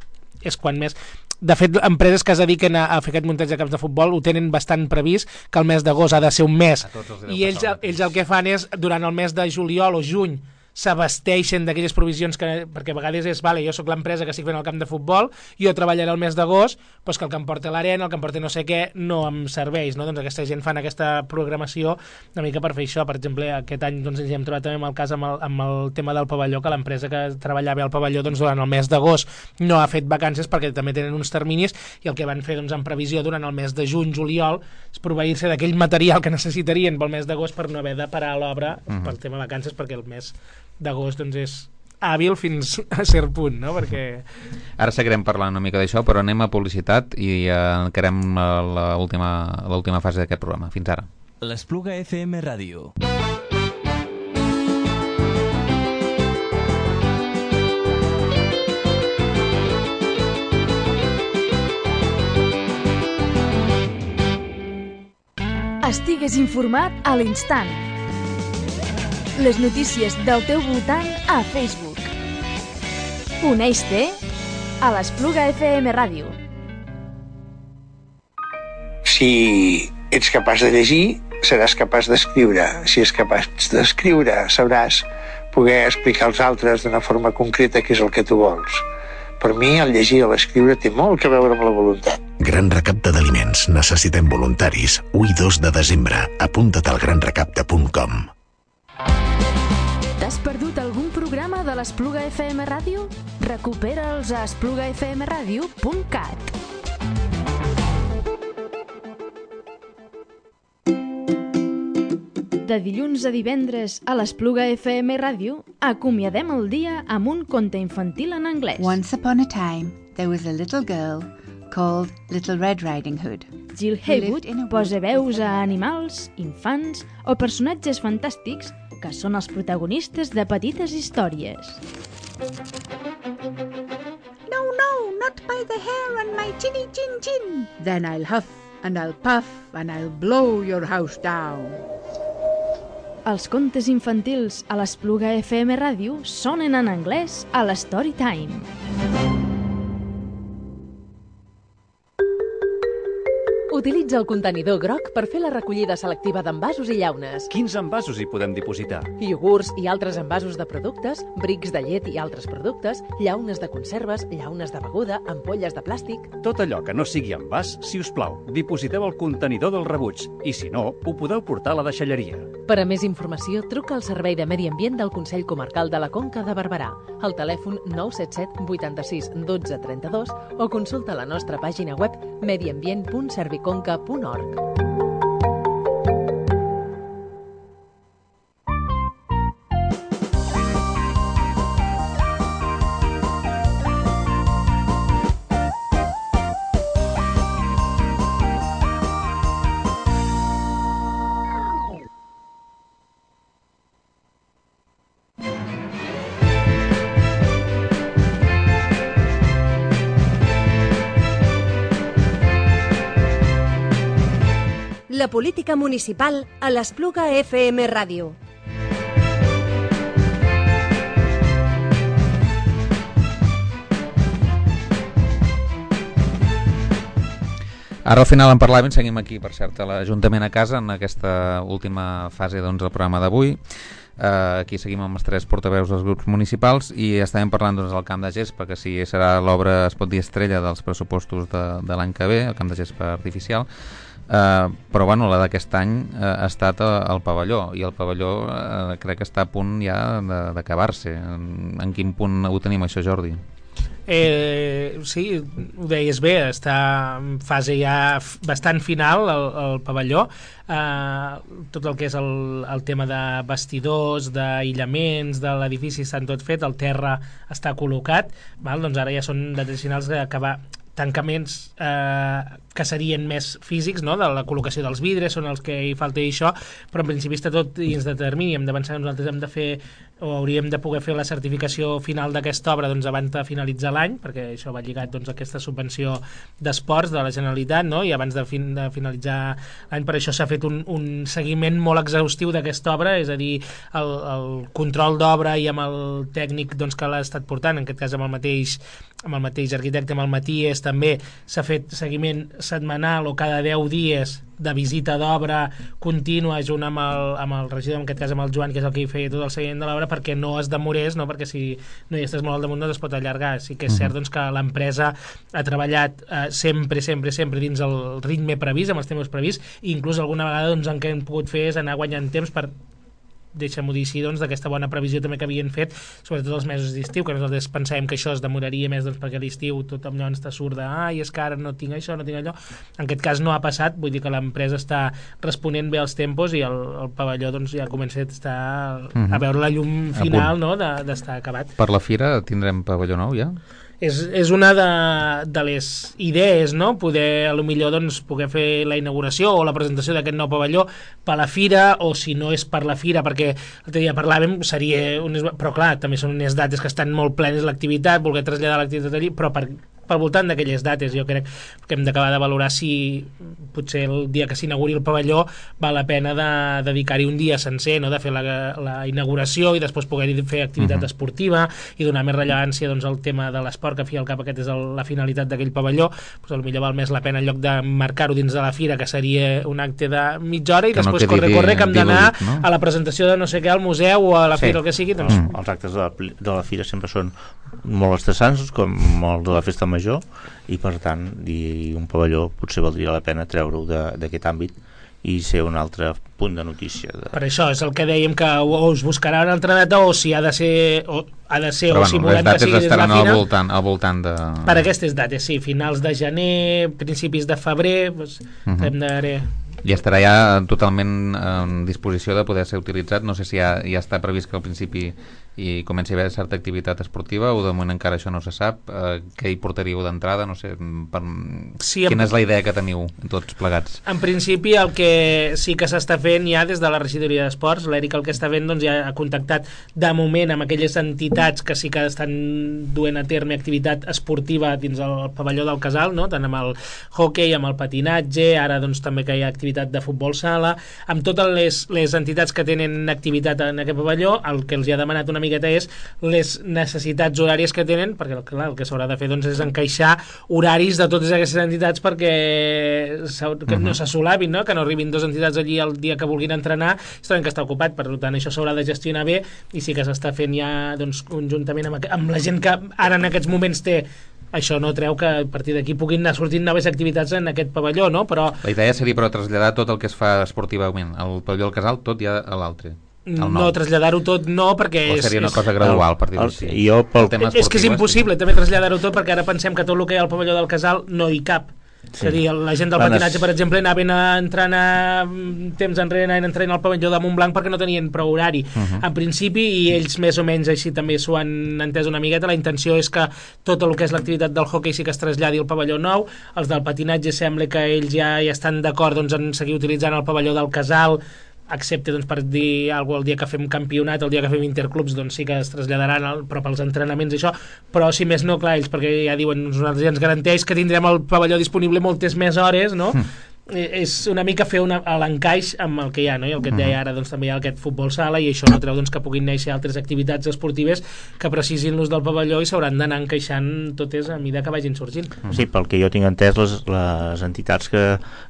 és quan més... De fet, empreses que es dediquen a, a fer aquest muntatge de camps de futbol ho tenen bastant previst, que el mes d'agost ha de ser un mes, i ells, ells el que fan és, durant el mes de juliol o juny, s'abasteixen d'aquelles provisions que, perquè a vegades és, vale, jo sóc l'empresa que estic fent el camp de futbol, jo treballaré el mes d'agost, doncs que el que em porta l'arena, el que em porta no sé què, no em serveix, no? Doncs aquesta gent fan aquesta programació una mica per fer això. Per exemple, aquest any doncs, ens hem trobat també amb el cas amb el, amb el tema del pavelló, que l'empresa que treballava al pavelló doncs, durant el mes d'agost no ha fet vacances perquè també tenen uns terminis, i el que van fer doncs, en previsió durant el mes de juny, juliol, és proveir-se d'aquell material que necessitarien pel mes d'agost per no haver de parar l'obra uh-huh. pel tema vacances, perquè el mes d'agost doncs, és hàbil fins a cert punt, no? Perquè... Ara seguirem parlant una mica d'això, però anem a publicitat i eh, encarem l'última fase d'aquest programa. Fins ara. L'Espluga F M Ràdio. Estigues informat a l'instant. Les notícies del teu voltant a Facebook. Uneix-te a l'Espluga F M Ràdio. Si ets capaç de llegir, seràs capaç d'escriure. Si és capaç d'escriure, sabràs poder explicar als altres d'una forma concreta què és el que tu vols. Per mi, el llegir o l'escriure té molt que veure amb la voluntat. Gran recapte d'aliments. Necessitem voluntaris. u i dos de desembre. Apunta't al gran recapte punt com. T'has perdut algun programa de l'Espluga F M Ràdio? Recupera'ls a espluga f m ràdio punt cat. De dilluns a divendres a l'Espluga F M Ràdio acomiadem el dia amb un conte infantil en anglès. Once upon a time, there was a little girl called Little Red Riding Hood. Jill Haywood posa veus a animals, infants o personatges fantàstics que són els protagonistes de petites històries. No, no, not by the hair on my chinny chin chin. Then I'll huff and I'll puff and I'll blow your house down. Els contes infantils a l'Espluga F M Ràdio sonen en anglès a l'Story Time. Utilitza el contenidor groc per fer la recollida selectiva d'envasos i llaunes. Quins envasos hi podem dipositar? Iogurts i altres envasos de productes, brics de llet i altres productes, llaunes de conserves, llaunes de beguda, ampolles de plàstic... Tot allò que no sigui envàs, si us plau, dipositeu al contenidor del rebuig i, si no, ho podeu portar a la deixalleria. Per a més informació, truca al Servei de Medi Ambient del Consell Comarcal de la Conca de Barberà, al telèfon nou set set vuitanta-sis dotze trenta-dos o consulta la nostra pàgina web mediambient punt serviconca punt org. La política municipal a l'Espluga F M Ràdio. Ara al final en parlàvem, seguim aquí, per cert, a l'Ajuntament a casa, en aquesta última fase doncs, del programa d'avui. Uh, aquí seguim amb els tres portaveus dels grups municipals i estàvem parlant doncs, del camp de gespa, que si serà l'obra, es pot dir, estrella dels pressupostos de, de l'any que ve, el camp de gespa artificial. Uh, però bueno, la d'aquest any uh, ha estat uh, el pavelló, i el pavelló uh, crec que està a punt ja d'acabar-se. En, en quin punt ho tenim, això, Jordi? Eh, sí, ho deies bé, està en fase ja bastant final el, el pavelló. Eh, tot el que és el, el tema de vestidors, d'aïllaments de l'edifici estan tot fet, el terra està col·locat, val? Doncs ara ja són detalls finals que acabar tancaments eh, que serien més físics, no? De la col·locació dels vidres, són els que hi falta i això, però en principi està tot dins de termini. Hem de pensar que nosaltres hem de fer o hauríem de poder fer la certificació final d'aquesta obra doncs, abans de finalitzar l'any, perquè això va lligat doncs, a aquesta subvenció d'esports de la Generalitat, no? I abans de, fin de finalitzar l'any, per això s'ha fet un, un seguiment molt exhaustiu d'aquesta obra, és a dir, el, el control d'obra i amb el tècnic doncs, que l'ha estat portant, en aquest cas amb el mateix amb el mateix arquitecte, amb el Matías, també s'ha fet seguiment setmanal o cada deu dies de visita d'obra contínua junt amb el, amb el regidor, en aquest cas amb el Joan, que és el que hi feia tot el seguiment de l'obra, perquè no es demorés, no? Perquè si no hi estàs molt al damunt no es pot allargar. Sí que és cert doncs, que l'empresa ha treballat eh, sempre, sempre, sempre dins el ritme previst, amb els temps prevists, i inclús alguna vegada doncs, el que hem pogut fer és anar guanyant temps per deixem-ho dir així, doncs, d'aquesta bona previsió també que havien fet, sobretot els mesos d'estiu, que nosaltres pensàvem que això es demoraria més doncs, perquè a l'estiu tothom ens està surt de ai, és que ara no tinc això, no tinc allò. En aquest cas no ha passat, vull dir que l'empresa està responent bé als tempos i el, el pavelló doncs, ja comença a estar Mm-hmm. a veure la llum final, no?, d'estar acabat. Per la fira tindrem pavelló nou ja? És, és una de, de les idees, no? Poder, a lo millor, doncs, poder fer la inauguració o la presentació d'aquest nou pavelló per la fira, o si no és per la fira, perquè l'altre dia parlàvem, seria unes, però clar, també són unes dates que estan molt plenes l'activitat, voler traslladar l'activitat allí, però per pel voltant d'aquelles dates jo crec que hem d'acabar de valorar si potser el dia que s'inauguri el pavelló val la pena de dedicar-hi un dia sencer, no? De fer la, la inauguració i després poder fer activitat uh-huh. esportiva i donar més rellevància doncs, al tema de l'esport, que al fi al cap aquest és el, la finalitat d'aquell pavelló, doncs potser val més la pena en lloc de marcar-ho dins de la fira, que seria un acte de mitja hora i que després no corre, corre, que hem d'anar no? a la presentació de no sé què al museu o a la fira, sí. el que sigui. Doncs... Mm. Els actes de la, de la fira sempre són molt estressants, com el de la festa major, i per tant i un pavelló potser valdria la pena treure-ho d'aquest àmbit i ser un altre punt de notícia de... Per això és el que dèiem, que o us buscarà una altra data o si ha de ser o, ha de ser, però, o bueno, si volem que sigui des de la fira al voltant, al voltant de... per aquestes dates, sí, finals de gener, principis de febrer, doncs, uh-huh. hem de... I estarà ja totalment en disposició de poder ser utilitzat. No sé si ja, ja està previst que al principi i comenci a haver certa activitat esportiva o de moment encara això no se sap. Eh, què hi portaríeu d'entrada? No sé, per... sí, quina en... és la idea que teniu tots plegats? En principi el que sí que s'està fent ja des de la regidoria d'esports, l'Eric el que està fent doncs, ja ha contactat de moment amb aquelles entitats que sí que estan duent a terme activitat esportiva dins el pavelló del Casal, no? Tant amb el hoquei, amb el patinatge, ara doncs també que hi ha activitat de futbol sala, amb totes les, les entitats que tenen activitat en aquest pavelló. El que els hi ha demanat una miqueta és les necessitats horàries que tenen, perquè clar, el que s'haurà de fer doncs, és encaixar horaris de totes aquestes entitats perquè que uh-huh. no s'assolabin, no? Que no arribin dues entitats allí el dia que vulguin entrenar, es troben que està ocupat, per tant això s'haurà de gestionar bé i sí que s'està fent ja doncs, conjuntament amb, amb la gent que ara en aquests moments té. Això no treu que a partir d'aquí puguin anar sortint noves activitats en aquest pavelló, no? Però... La idea seria però traslladar tot el que es fa esportivament al pavelló del Casal, tot ja a l'altre. No, traslladar-ho tot no, perquè o seria una cosa gradual per dir-ho així. Jo pel... És que és impossible també traslladar-ho tot, perquè ara pensem que tot el que hi ha al pavelló del Casal no hi cap. Sí. És a dir, la gent del patinatge, per exemple, anaven entrant a temps enrere, anaven entrant al pavelló de Montblanc perquè no tenien prou horari. Uh-huh. En principi, i ells més o menys així també s'ho han entès una miqueta, la intenció és que tot el que és l'activitat del hoquei sí que es traslladi al pavelló nou. Els del patinatge sembla que ells ja, ja estan d'acord doncs, en seguir utilitzant el pavelló del Casal, excepte doncs, per dir alguna cosa, el dia que fem campionat, el dia que fem interclubs, doncs sí que es traslladaran el, però pels entrenaments i això, però si més no, clar, ells perquè ja diuen, nosaltres ja ens garanteix que tindrem el pavelló disponible moltes més hores, no? Mm. És una mica fer una, l'encaix amb el que hi ha, no? I el que et deia ara, doncs també hi ha aquest futbol sala i això no treu doncs, que puguin néixer altres activitats esportives que precisin l'ús del pavelló i s'hauran d'anar encaixant totes a mida que vagin sorgint. Sí, pel que jo tinc entès, les, les entitats que,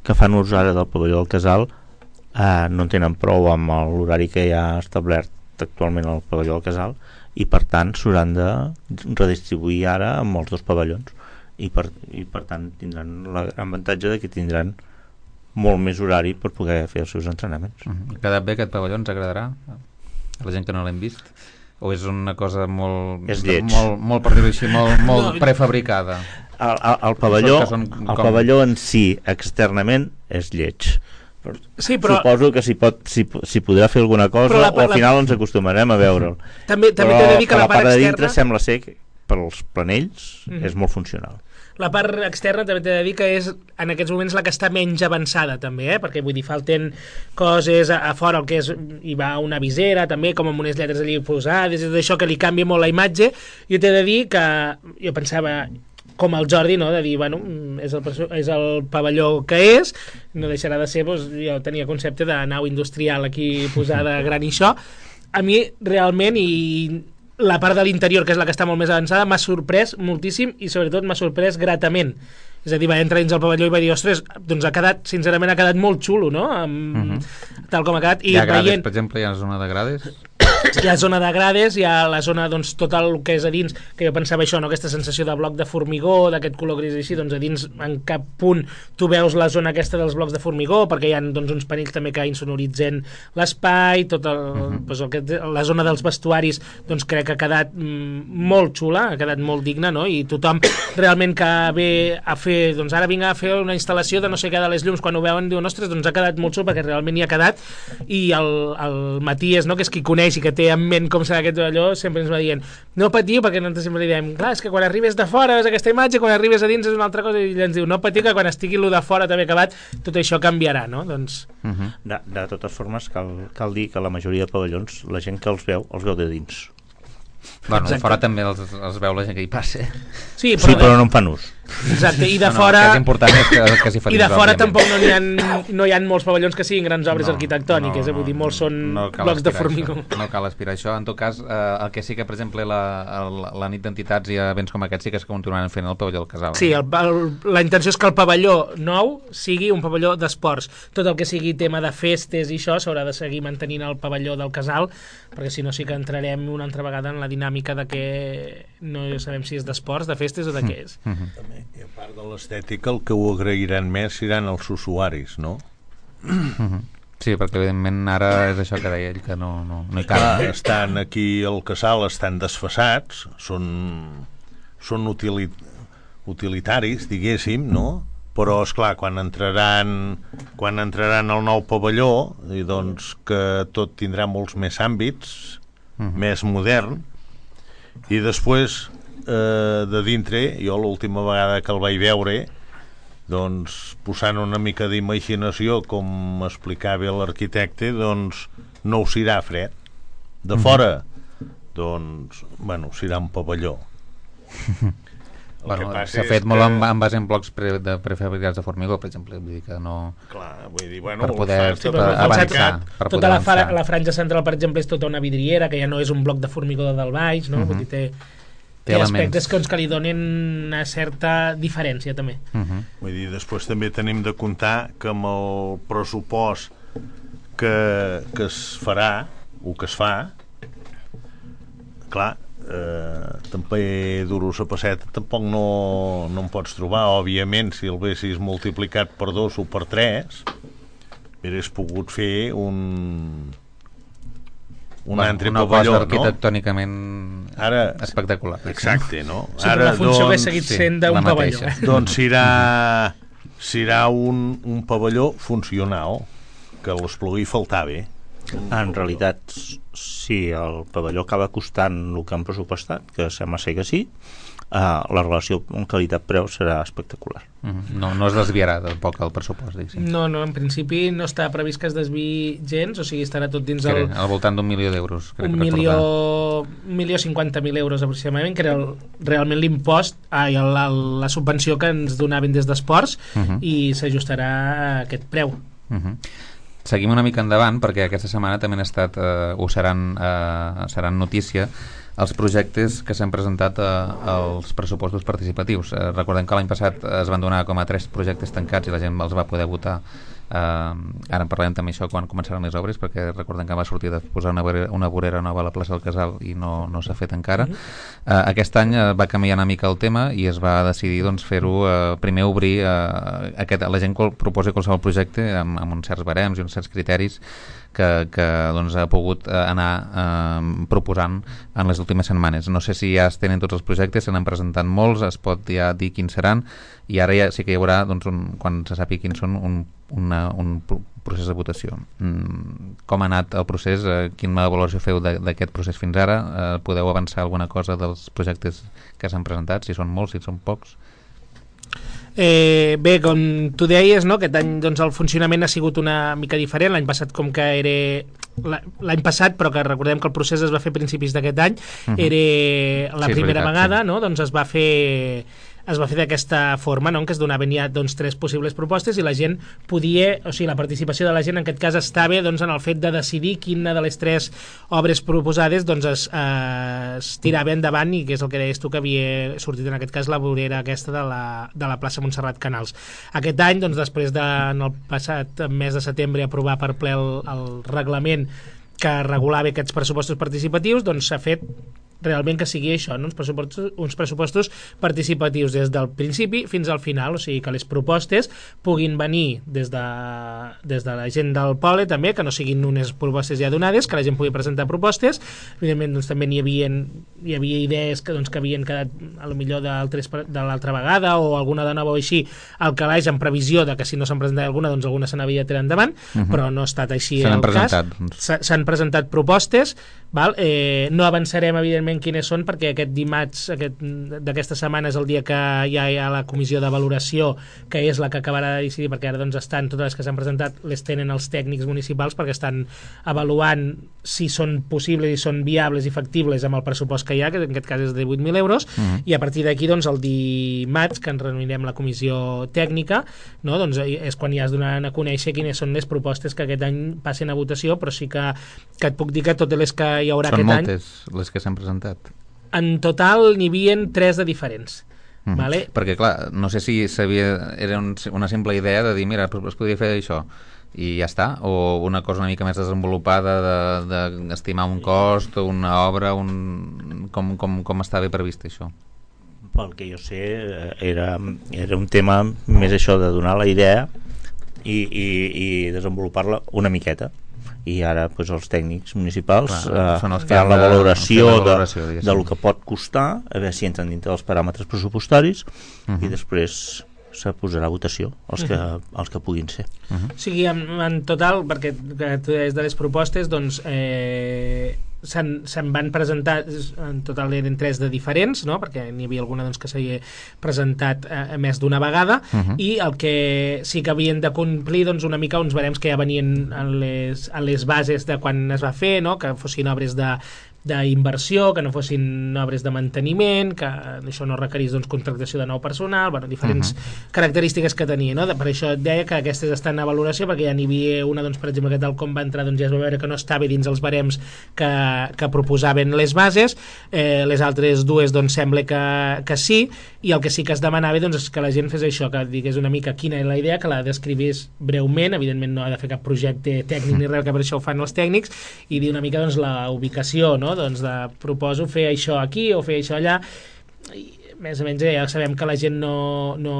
que fan ús ara del pavelló del Casal Uh, no en tenen prou amb l'horari que hi ha establert actualment al pavelló del Casal i per tant s'hauran de redistribuir ara amb els dos pavellons i per, i per tant tindran l'avantatge de que tindran molt més horari per poder fer els seus entrenaments. Uh-huh. Ha quedat bé aquest pavelló? Ens agradarà? A la gent que no l'hem vist? o és una cosa molt... És lleig. Molt, molt per dir-ho així, molt, molt no, prefabricada. El, el, el, pavelló, el com... pavelló en si, externament, és lleig. Sí, però... Suposo que s'hi pot, s'hi, s'hi podrà fer alguna cosa la, o al final la... ens acostumarem a veure'l. També, també t'he de dir que la, la part, part de externa... dintre sembla ser que per als planells mm-hmm. és molt funcional. La part externa també t'he de dir que és en aquests moments la que està menys avançada també, eh? Perquè vull dir, falten coses a, a fora, el que és, hi va una visera també, com amb unes lletres allí posades, i tot això que li canvia molt la imatge. Jo t'he de dir que jo pensava... com el Jordi, no? De dir, bueno, és el, és el pavelló que és, no deixarà de ser, doncs, jo tenia concepte de nau industrial aquí posada gran i això. A mi, realment, i la part de l'interior, que és la que està molt més avançada, m'ha sorprès moltíssim i, sobretot, m'ha sorprès gratament. És a dir, va entrar dins el pavelló i va dir, ostres, doncs ha quedat, sincerament, ha quedat molt xulo, no? Amb, uh-huh. Tal com ha quedat. I hi ha grades, veient... per exemple, hi ha una zona de grades? Hi ha zona de grades, hi ha la zona, doncs, tot el que és a dins, que jo pensava això, no? Aquesta sensació de bloc de formigó, d'aquest color gris així, doncs a dins en cap punt tu veus la zona aquesta dels blocs de formigó, perquè hi ha doncs, uns panells també que insonoritzen l'espai, tot el, uh-huh. doncs, el que, la zona dels vestuaris, doncs crec que ha quedat mm, molt xula, ha quedat molt digna, no? I tothom realment que ve a fer, doncs ara vinc a fer una instal·lació de no sé què de les llums, quan ho veuen diuen, ostres, doncs ha quedat molt xul, perquè realment hi ha quedat, i el, el Matías, no? Que és qui coneix i que té en ment com serà aquest allò, sempre ens va dient no patiu, perquè nosaltres sempre li diem clar, és que quan arribes de fora veus aquesta imatge, quan arribes a dins és una altra cosa, i ell ens diu no patiu, que quan estigui lo de fora també acabat tot això canviarà, no? Doncs... Uh-huh. de, de totes formes cal, cal dir que la majoria de pavellons la gent que els veu, els veu de dins. Bueno, de fora també els, els veu la gent que hi passa. Sí, però, sí, però no en fan ús. Exacte, i de no, no, fora... El que és important és que, que s'hi fan I de fora òbviament. Tampoc no hi, ha, no hi ha molts pavellons que siguin grans obres no, arquitectòniques, no, eh? Vull dir, molts són no blocs de formigó. Això. No cal aspirar això. En tot cas, eh, el que sí que, per exemple, la, la, la nit d'entitats i events com aquest sí que es continuaran fent el pavelló del Casal. Sí, el, el, la intenció és que el pavelló nou sigui un pavelló d'esports. Tot el que sigui tema de festes i això s'haurà de seguir mantenint el pavelló del Casal, perquè si no sí que entrarem una altra vegada en la dinàmica de que no sabem si és d'esports, de festes o de què és. Mm-hmm. També, i a part de l'estètica, el que ho agrairan més seran els usuaris, no? Mm-hmm. Sí, perquè evidentment ara és això que deia ell, que no, no, no hi cal. Clar, estan aquí al Casal, estan desfasats, són, són utili, utilitaris, diguéssim, no? Però, esclar, quan entraran quan entraran al nou pavelló, i doncs que tot tindrà molts més àmbits, mm-hmm. més modern, i després eh, de dintre, jo l'última vegada que el vaig veure, doncs posant una mica d'imaginació, com explicava l'arquitecte, doncs no ho serà fred. De fora, doncs, bueno, serà un pavelló. Bueno, s'ha fet molt que... en, en base en blocs pre, de prefabricats de formigó, per exemple, vull dir que no... Clar, vull dir, bueno, per poder sí, per avançar. Per tota poder la, avançar. la franja central, per exemple, és tota una vidriera, que ja no és un bloc de formigó de dalt baix, no? Uh-huh. Vull dir, té, té, té aspectes que, que li donen una certa diferència, també. Uh-huh. Vull dir, després també tenim de comptar que amb el pressupost que, que es farà, o que es fa, clar, Eh, també duros a passeta tampoc no, no en pots trobar. Òbviament, si el haguessis multiplicat per dos o per tres, hauries pogut fer un un bueno, altre una pavelló, cosa arquitectònicament no? Ara, espectacular. Exacte, no? Sí, ara, la funció doncs, hauria seguit sent d'un sí, pavelló. Eh? Doncs serà, serà un, un pavelló funcional, que l'Espluguí faltava. En realitat, si el pavelló acaba costant el que han pressupostat, que sembla ser que sí, eh, la relació amb qualitat-preu serà espectacular. Mm-hmm. No, no es desviarà tampoc el pressupost, diguéssim. No, no, en principi no està previst que es desviï gens, o sigui, estarà tot dins el... el... Al voltant d'un milió d'euros. Un milió, un milió cinquanta mil euros aproximadament, que era el, realment l'impost, ai, la, la subvenció que ens donaven des d'esports, uh-huh. i s'ajustarà a aquest preu. Uh-huh. Seguim una mica endavant, perquè aquesta setmana també han estat, eh, o seran, eh, seran notícia, els projectes que s'han presentat eh, als pressupostos participatius. Eh, recordem que l'any passat es van donar com a tres projectes tancats i la gent els va poder votar Uh, ara en parlarem també això quan començaran les obres, perquè recordem que va sortir de posar una vorera, una vorera nova a la plaça del Casal i no, no s'ha fet encara. Uh, aquest any uh, va canviar una mica el tema i es va decidir doncs, fer-ho, uh, primer obrir uh, aquest, la gent que proposi qualsevol projecte amb, amb uns certs barems i uns certs criteris que, que doncs, ha pogut uh, anar uh, proposant en les últimes setmanes. No sé si ja es tenen tots els projectes, se n'han presentat molts, es pot ja dir quins seran, i ara ja sí que hi haurà, doncs, un, quan se sàpiga quins són, un, una, un procés de votació. Mm, com ha anat el procés? Eh, quina valoració feu d'aquest procés fins ara? Eh, podeu avançar alguna cosa dels projectes que s'han presentat, si són molts, si són pocs? Eh, bé, com tu deies, no? Aquest any doncs, el funcionament ha sigut una mica diferent. L'any passat com que era l'any passat, però que recordem que el procés es va fer a principis d'aquest any, uh-huh. era la sí, primera veritat, vegada, sí. no? Doncs es va fer es va fer d'aquesta forma, no? En què es donaven ja doncs, tres possibles propostes i la gent podia, o sigui, la participació de la gent en aquest cas estava doncs, en el fet de decidir quina de les tres obres proposades doncs, es, eh, es tirava endavant, i que és el que deies tu, que havia sortit en aquest cas la vorera aquesta de la, de la plaça Montserrat Canals. Aquest any, doncs, després de, en el passat mes de setembre, aprovar per ple el, el reglament que regulava aquests pressupostos participatius, doncs s'ha fet realment que sigui això, no? uns, pressupostos, uns pressupostos participatius des del principi fins al final, o sigui que les propostes puguin venir des de, des de la gent del poble també, que no siguin unes propostes ja donades, que la gent pugui presentar propostes. Evidentment doncs, també n'hi havia, hi havia idees que, doncs, que havien quedat a lo millor de l'altra vegada o alguna de nova o així al calaix en previsió de que si no se'n presentat alguna, doncs alguna se n'havia tirat endavant, uh-huh. però no ha estat així el cas. S'han presentat propostes, val? Eh, no avançarem evidentment quines són, perquè aquest dimarts aquest, d'aquesta setmana és el dia que ja hi ha la comissió de valoració, que és la que acabarà de decidir, perquè ara doncs estan totes les que s'han presentat, les tenen els tècnics municipals perquè estan avaluant si són possibles i són viables i factibles amb el pressupost que hi ha, que en aquest cas és de divuit mil euros, uh-huh. i a partir d'aquí doncs el dimarts, que ens reunirem la comissió tècnica, no? Doncs és quan ja es donaran a conèixer quines són les propostes que aquest any passen a votació, però sí que, que et puc dir que totes les que hi haurà són aquest any... Són moltes les que s'han presentat. En total n'hi havia tres de diferents. Mm. Vale? Perquè clar, no sé si sabia, era un, una simple idea de dir, mira, es podria fer això i ja està, o una cosa una mica més desenvolupada d'estimar de, de un cost o una obra, un, com, com, com estava previst això? Pel que jo sé era, era un tema més això de donar la idea i, i, i desenvolupar-la una miqueta, i ara doncs, els tècnics municipals Clar, eh, fan la valoració, de, de, valoració de, de lo que pot costar, a veure si entren dintre dels paràmetres pressupostaris, uh-huh. i després se posarà a votació els que, uh-huh. els que puguin ser. Uh-huh. O sigui, en, en total, perquè tu deies de les propostes, doncs eh, se'n, se'n van presentar, en total eren tres de diferents, no? Perquè n'hi havia alguna doncs, que s'havia presentat eh, més d'una vegada, uh-huh. i el que sí que havien de complir doncs, una mica uns barems que ja venien en les, en les bases de quan es va fer, no? Que fossin obres de d'inversió, que no fossin obres de manteniment, que això no requerís doncs, contractació de nou personal, bueno, diferents uh-huh. característiques que tenia, no? Per això et deia que aquestes estan a valoració, perquè ja n'hi havia una, doncs, per exemple, que tal com va entrar doncs, ja es va veure que no estava dins els barems que, que proposaven les bases, eh, les altres dues doncs, sembla que, que sí, i el que sí que es demanava doncs, és que la gent fes això, que digués una mica quina és la idea, que la descrivís breument, evidentment no ha de fer cap projecte tècnic ni res, que per això ho fan els tècnics, i dir una mica doncs, la ubicació, no? Doncs de, proposo fer això aquí o fer això allà, i més o menys ja sabem que la gent no, no,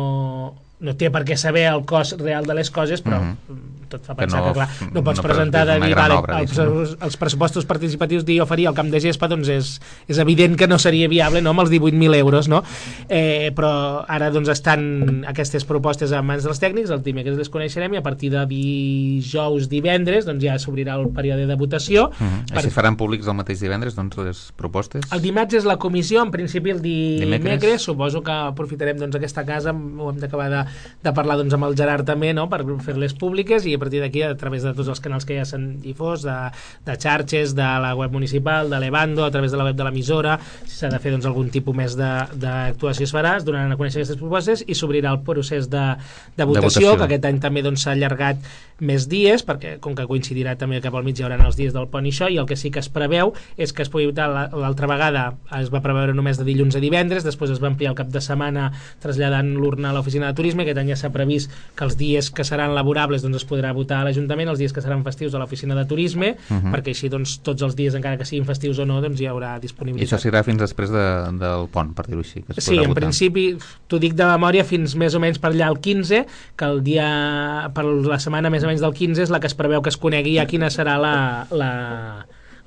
no té per què saber el cost real de les coses, però mm-hmm. tot fa pensar que, no, que clar, no pots no presentar de dir, vale, obra, els, els, els pressupostos participatius dir oferir al camp de gespa, doncs és, és evident que no seria viable, no?, amb els divuit mil euros, no? Eh, però ara doncs estan aquestes propostes a mans dels tècnics, el dimecres les coneixerem, i a partir de dijous, divendres, doncs ja s'obrirà el període de votació. Mm-hmm. Per... I si faran públics el mateix divendres, doncs, les propostes? El dimarts és la comissió, en principi el dimecres, dimecres suposo que aprofitarem doncs aquesta casa, ho hem d'acabar de, de parlar doncs amb el Gerard també, no?, per fer-les públiques, i a partir d'aquí, a través de tots els canals que ja s'han difós, de, de xarxes, de la web municipal, de l'Evando, a través de la web de l'emissora, si s'ha de fer doncs, algun tipus més d'actuació es farà, es donaran a conèixer aquestes propostes i s'obrirà el procés de, de, votació, de votació, que aquest any també doncs, s'ha allargat més dies, perquè com que coincidirà també cap al mig hi haurà els dies del pont i això, i el que sí que es preveu és que es pugui votar, l'altra vegada es va preveure només de dilluns a divendres, després es va ampliar el cap de setmana traslladant l'urna a l'oficina de turisme, turisme. Aquest any ja s'ha previst que els dies que seran laborables doncs, es podrà votar a l'Ajuntament, els dies que seran festius a l'oficina de turisme, uh-huh. perquè així doncs, tots els dies, encara que siguin festius o no, doncs, hi haurà disponibilitat. I això serà fins després de, del pont, per dir-ho així, que es sí, en votar. Principi, t'ho dic de memòria, fins més o menys per allà el quinze, que el dia, per la setmana més o menys del quinze és la que es preveu que es conegui ja quina serà la, la,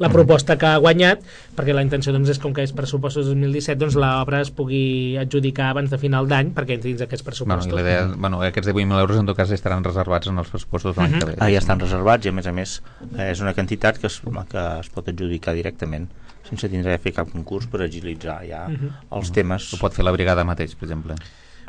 la proposta que ha guanyat, perquè la intenció doncs, és com que és pressupostos dos mil disset, doncs l'obra es pugui adjudicar abans de final d'any perquè entri dins aquests pressupostos. Bueno, idea, bueno, aquests divuit mil euros en tot cas estaran reservats en els pressupostos de l'any uh-huh. que ve. Ah, ja estan reservats i a més a més és una quantitat que es, que es pot adjudicar directament sense tindre de fer cap concurs per agilitzar ja uh-huh. els uh-huh. temes. Ho pot fer la brigada mateix, per exemple.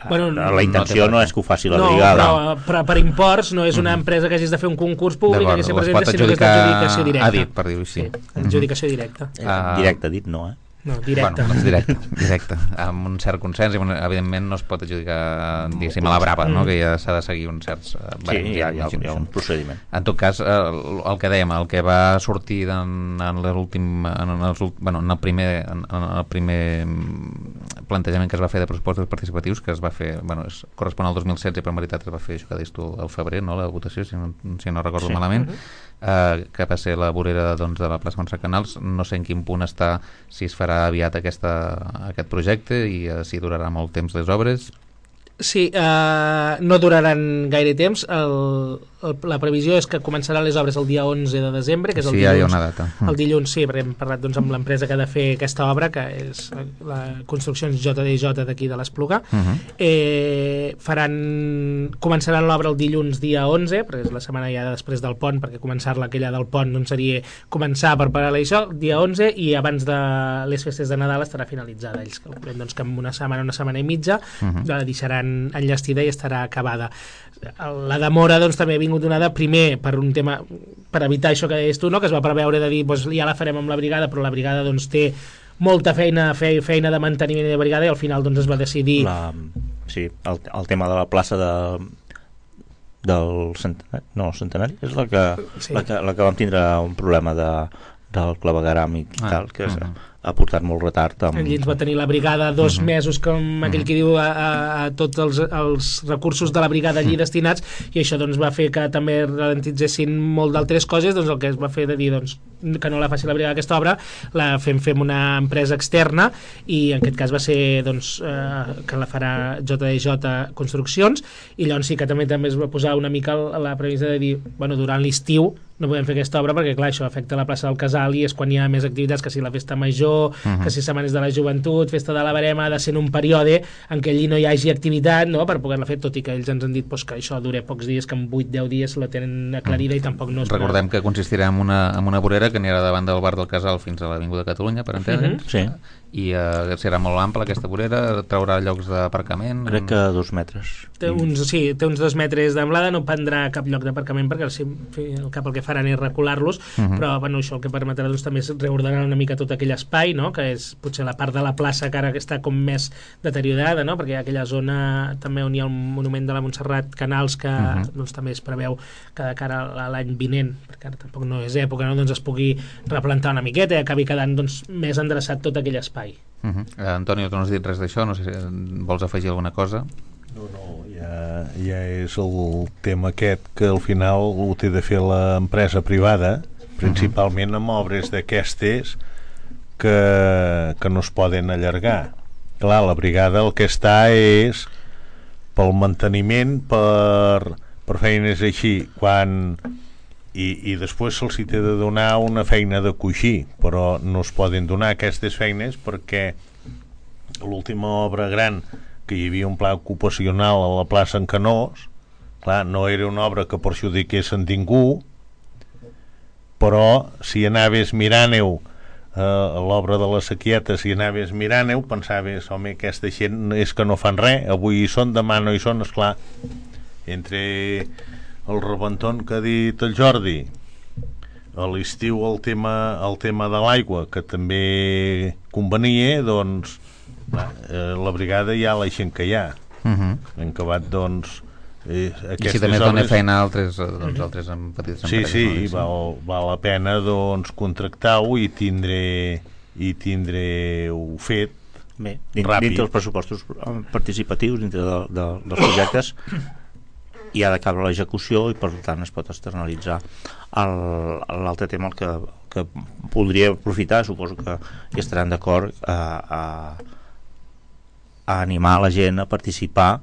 Bueno, la intenció no, no és que ho faci la no, brigada. No, però per, per imports no és una empresa que hagis de fer un concurs públic que se presenta, sinó que és d'adjudicació directa. A dit, per dir-ho així. Sí, adjudicació directa. Uh, directe, dit no, eh? No, directe. Bueno, directe, directe. Amb un cert consens, i evidentment no es pot adjudicar, diguéssim, a la brava, no? Que ja s'ha de seguir uns certs barems. Sí, hi ha, hi, ha, hi ha un procediment. En tot cas, el, el que dèiem, el que va sortir en, en l'últim, en, els, bueno, en el primer en, en el primer plantejament que es va fer de pressupostos participatius, que es va fer, bueno, es correspon al dos mil setze, però en veritat es va fer, això que deies tu, al febrer, no?, la votació, si no, si no recordo sí. malament, uh-huh. eh, que va ser la vorera doncs, de la plaça Montserrat Canals. No sé en quin punt està, si es farà aviat aquesta, aquest projecte i uh, si durarà molt temps les obres. Sí, eh, no duraran gaire temps. El, el, la previsió és que començaran les obres el dia onze de desembre, que és el sí, dilluns. Ja hi ha una data. El dilluns, sí, perquè hem parlat doncs, amb l'empresa que ha de fer aquesta obra, que és la Construccions J D J d'aquí de l'Espluga. Uh-huh. eh, faran, començaran l'obra el dilluns dia onze, perquè és la setmana ja després del pont, perquè començar-la aquella del pont doncs, seria començar per parar-la això, el dia onze, i abans de les festes de Nadal estarà finalitzada. Ells calculen doncs, que en una setmana, una setmana i mitja, uh-huh. la deixaran enllestida i estarà acabada. La demora doncs, també ha vingut donada primer per un tema, per evitar això que deies tu, no? Que es va preveure de dir doncs, ja la farem amb la brigada, però la brigada doncs, té molta feina, fe, feina de manteniment de brigada, i al final doncs, es va decidir la, sí, el, el tema de la plaça de del centenari, no, el centenari és la que, sí. la, que, la que vam tindre un problema de, del clavegaram i ah, tal, que uh-huh. ha portat molt retard. Amb... Allí ens va tenir la brigada dos uh-huh. mesos, com uh-huh. aquell que diu, a, a, a tots els, els recursos de la brigada allí uh-huh. destinats, i això doncs, va fer que també ralentitzessin molt d'altres coses. Doncs el que es va fer de dir doncs, que no la faci la brigada aquesta obra, la fem, fem una empresa externa, i en aquest cas va ser doncs, eh, que la farà J D J Construccions, i llavors sí que també també es va posar una mica la previsió de dir, bueno, durant l'estiu no podem fer aquesta obra perquè, clar, això afecta la plaça del Casal i és quan hi ha més activitats, que si la festa major, uh-huh. que si setmanes de la joventut, festa de la Verema, ha de ser en un període en què allí no hi hagi activitat, no?, per poder-la fer, tot i que ells ens han dit pues, que això dura pocs dies, que en vuit deu dies la tenen aclarida uh-huh. i tampoc no és... Recordem que consistirà en una, en una vorera que anirà davant del bar del Casal fins a l'Avinguda Catalunya, per entendre'ns. Uh-huh. Sí. I uh, serà molt ample aquesta vorera, traurà llocs d'aparcament. Crec que dos metres. Té uns, sí, té uns dos metres d'amplada, no prendrà cap lloc d'aparcament perquè sí, el cap el que faran és recular-los, uh-huh. però bueno, això el que permetrà doncs, també és reordenar una mica tot aquell espai, no?, que és potser la part de la plaça que ara està com més deteriorada, no?, perquè hi ha aquella zona també on hi ha el monument de la Montserrat Canals que uh-huh. doncs, també es preveu que de cara a l'any vinent, perquè ara tampoc no és època, no?, doncs es pugui replantar una miqueta i acabi quedant doncs, més endreçat tot aquell espai. Uh-huh. eh, Antonio, tu no has dit res d'això, no sé si vols afegir alguna cosa. No, no, ja, ja és el tema aquest que al final ho té de fer l'empresa privada, principalment amb obres d'aquestes que, que no es poden allargar. Clar, la brigada el que està és pel manteniment, per, per feines així, quan... I, i després se'ls té de donar una feina de coixí, però no es poden donar aquestes feines perquè l'última obra gran, que hi havia un pla ocupacional a la plaça en Canós, clar, no era una obra que perjudiqués en ningú, però si anaves mirant-ho a l'obra de la Sequieta, si anaves mirant-ho pensaves, home, aquesta gent és que no fan res, avui hi són, demà no hi són. Esclar, entre el rebentón que ha dit el Jordi, a l'estiu el tema, el tema de l'aigua, que també convenia, doncs la, la brigada ja la gent que hi ha. Uh-huh. En acabat, doncs eh, i si també dona feina a altres, doncs, altres en petites sí, empreses. Sí, no? sí, val, val la pena doncs contractar-ho i tindre i tindre-ho fet Bé, dins, ràpid. Dintre dels pressupostos participatius, dintre de, de, dels projectes, hi ha de cabre l'execució i per tant es pot externalitzar. L'altre tema el que, que podria aprofitar, suposo que hi estaran d'acord, a, a, a animar la gent a participar,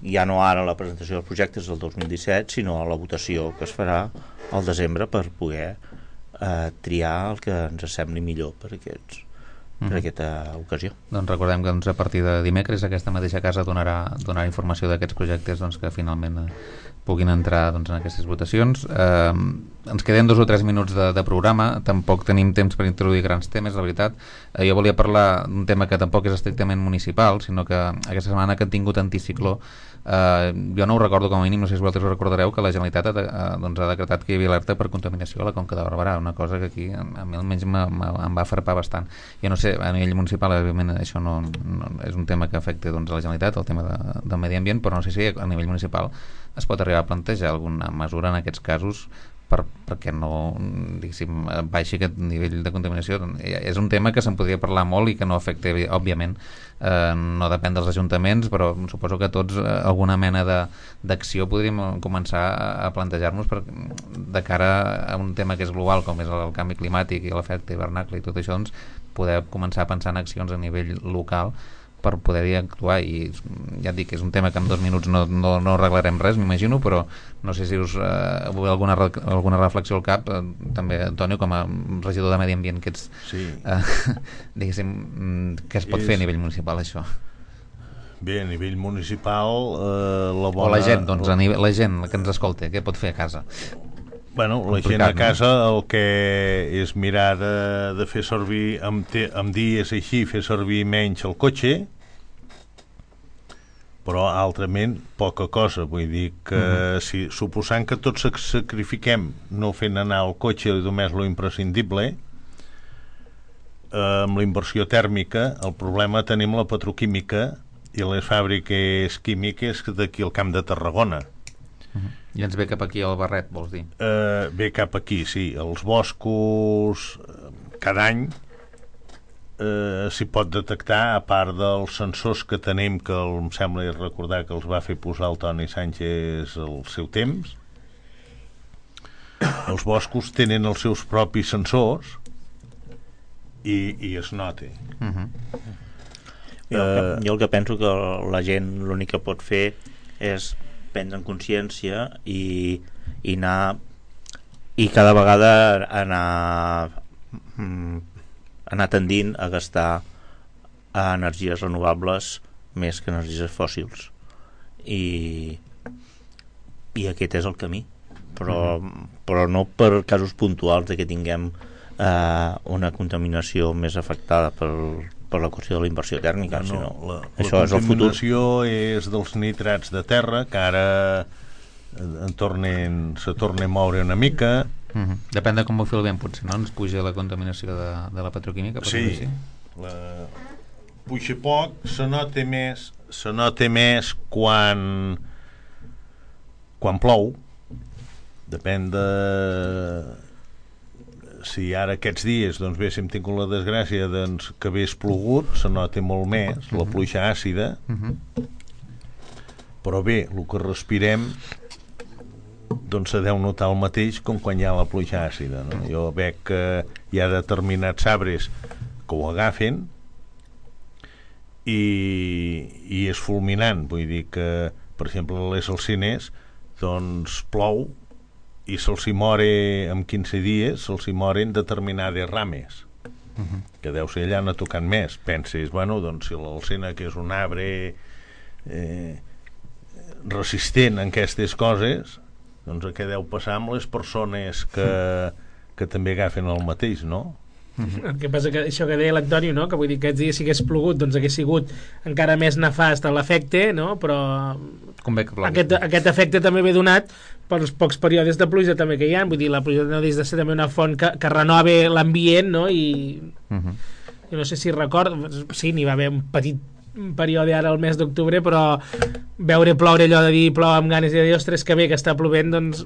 ja no ara a la presentació dels projectes del dos mil disset, sinó a la votació que es farà al desembre per poder eh, triar el que ens sembli millor per aquests mm. per aquesta ocasió. Doncs recordem que doncs, a partir de dimecres aquesta mateixa casa donarà, donarà informació d'aquests projectes doncs, que finalment eh, puguin entrar doncs, en aquestes votacions. Eh, ens queden dos o tres minuts de, de programa, tampoc tenim temps per introduir grans temes, la veritat. Eh, jo volia parlar d'un tema que tampoc és estrictament municipal, sinó que aquesta setmana que han tingut anticicló, eh, jo no ho recordo com a mínim, no sé si vosaltres ho recordareu, que la Generalitat ha, de, eh, doncs, ha decretat que hi havia alerta per contaminació a la Conca de Barberà, una cosa que aquí a mi almenys em va farpar bastant. Jo no sé, a nivell municipal evidentment això no, no és un tema que afecta doncs, a la Generalitat, el tema de, del medi ambient, però no sé si a nivell municipal es pot arribar a plantejar alguna mesura en aquests casos per, perquè no baixi aquest nivell de contaminació. És un tema que se'n podria parlar molt i que no afecta, òbviament, eh, no depèn dels ajuntaments, però suposo que tots eh, alguna mena d'acció podríem començar a plantejar-nos per, de cara a un tema que és global, com és el canvi climàtic i l'efecte hivernacle i tot això, doncs, poder començar a pensar en accions a nivell local per poder-hi actuar. I ja et dic que és un tema que en dos minuts no, no, no arreglarem res, m'imagino, però no sé si us eh, alguna, alguna reflexió al cap, eh, també, Antonio, com a regidor de Medi Ambient que ets, sí. eh, diguéssim, què es pot és... fer a nivell municipal, això? Bé, a nivell municipal eh, la bona... o la gent, doncs, a nivell, la gent que ens escolta, què pot fer a casa? Bueno, la gent a casa el que és mirar de, de fer servir amb, te, amb dies així, fer servir menys el cotxe, però altrament poca cosa, vull dir que uh-huh. si, suposant que tots sacrifiquem no fent anar el cotxe només lo imprescindible, eh, amb la inversió tèrmica el problema tenim la petroquímica i les fàbriques químiques d'aquí al Camp de Tarragona. Uh-huh. I ens ve cap aquí al barret, vols dir? Uh, ve cap aquí, sí. Els boscos, cada any uh, s'hi pot detectar, a part dels sensors que tenim, que el, em sembla recordar que els va fer posar el Toni Sánchez al seu temps. Els boscos tenen els seus propis sensors i, i es nota. Uh-huh. jo, el que, jo el que penso que la gent l'únic que pot fer és prendre en consciència i, i anar i cada vegada anar anar tendint a gastar a energies renovables més que energies fòssils i i aquest és el camí, però, mm-hmm. però no per casos puntuals de que tinguem eh, una contaminació més afectada per per la qüestió de la inversió tèrmica, no, sinó la, això la és el futur. La contaminació és dels nitrats de terra, que ara en tornen, se torna a moure una mica. Uh-huh. Depèn de com ho filmem, potser, no? Ens puja la contaminació de, de la petroquímica. Sí, sí. La... puja poc, se nota més, se nota més quan quan plou, depèn de... si ara aquests dies doncs bé, si hem tingut la desgràcia doncs, que hagués plogut, se nota molt més uh-huh. la pluja àcida uh-huh. però bé, el que respirem doncs se deu notar el mateix com quan hi ha la pluja àcida, no? Jo veig que hi ha determinats arbres que ho agafen i, i és fulminant, vull dir que per exemple les alzines doncs plou i se'ls hi more en quinze dies se'ls hi moren determinades rames uh-huh. que deu ser allà no tocant més, penses, bueno, doncs si l'alzina que és un arbre eh, resistent en aquestes coses doncs què deu passar amb les persones que, que també agafen el mateix, no? Uh-huh. El que passa que això que deia l'Antonio, no? Que vull dir que aquests dies si hagués plogut doncs hagués sigut encara més nefast l'efecte, no? Però aquest, aquest efecte també ve donat pels pocs períodes de pluja també que hi ha, vull dir, la pluja no ha de ser també una font que, que renova l'ambient, no? I uh-huh. jo no sé si recordo, sí, n'hi va haver un petit període ara al mes d'octubre, però veure ploure, allò de dir plou amb ganes i de dir, ostres, que bé que està plovent, doncs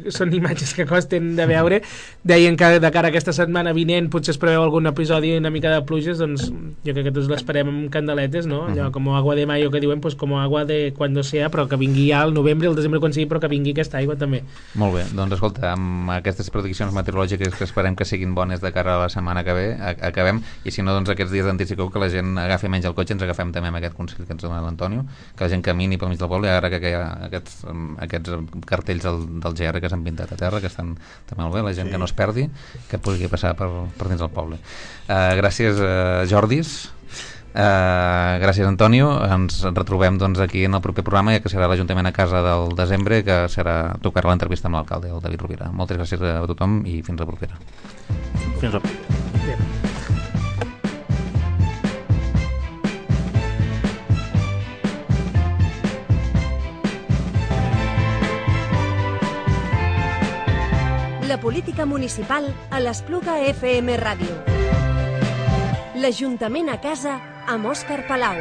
són imatges que costen de veure. Deien que de cara a aquesta setmana vinent potser es preveu algun episodi una mica de pluges, doncs jo crec que tots l'esperem amb candeletes, no? Allò com agua de mayo que diuen, pues com agua de cuando sea, però que vingui ja al novembre, al desembre quan sigui, però que vingui aquesta aigua també. Molt bé, doncs escolta, amb aquestes prediccions meteorològiques que esperem que siguin bones de cara a la setmana que ve, acabem, i si no, doncs aquests dies d'anticicló que la gent agafi menys el cotxe, ens agafem també amb aquest consell que ens dona l'Antonio, que la gent camini pel mig del poble, ara que hi ha aquests, aquests cartells del, del G R que s'han pintat a terra, que estan també molt bé, la gent sí. que no es perdi, que pugui passar per, per dins del poble. Uh, gràcies, uh, Jordis. Uh, gràcies, Antonio. Ens retrobem doncs, aquí en el proper programa, ja que serà l'Ajuntament a casa del desembre, que serà tocar l'entrevista amb l'alcalde, el David Rovira. Moltes gràcies a tothom i fins la propera. Fins la propera. La política municipal a l'Espluga F M Ràdio. L'Ajuntament a casa amb Òscar Palau.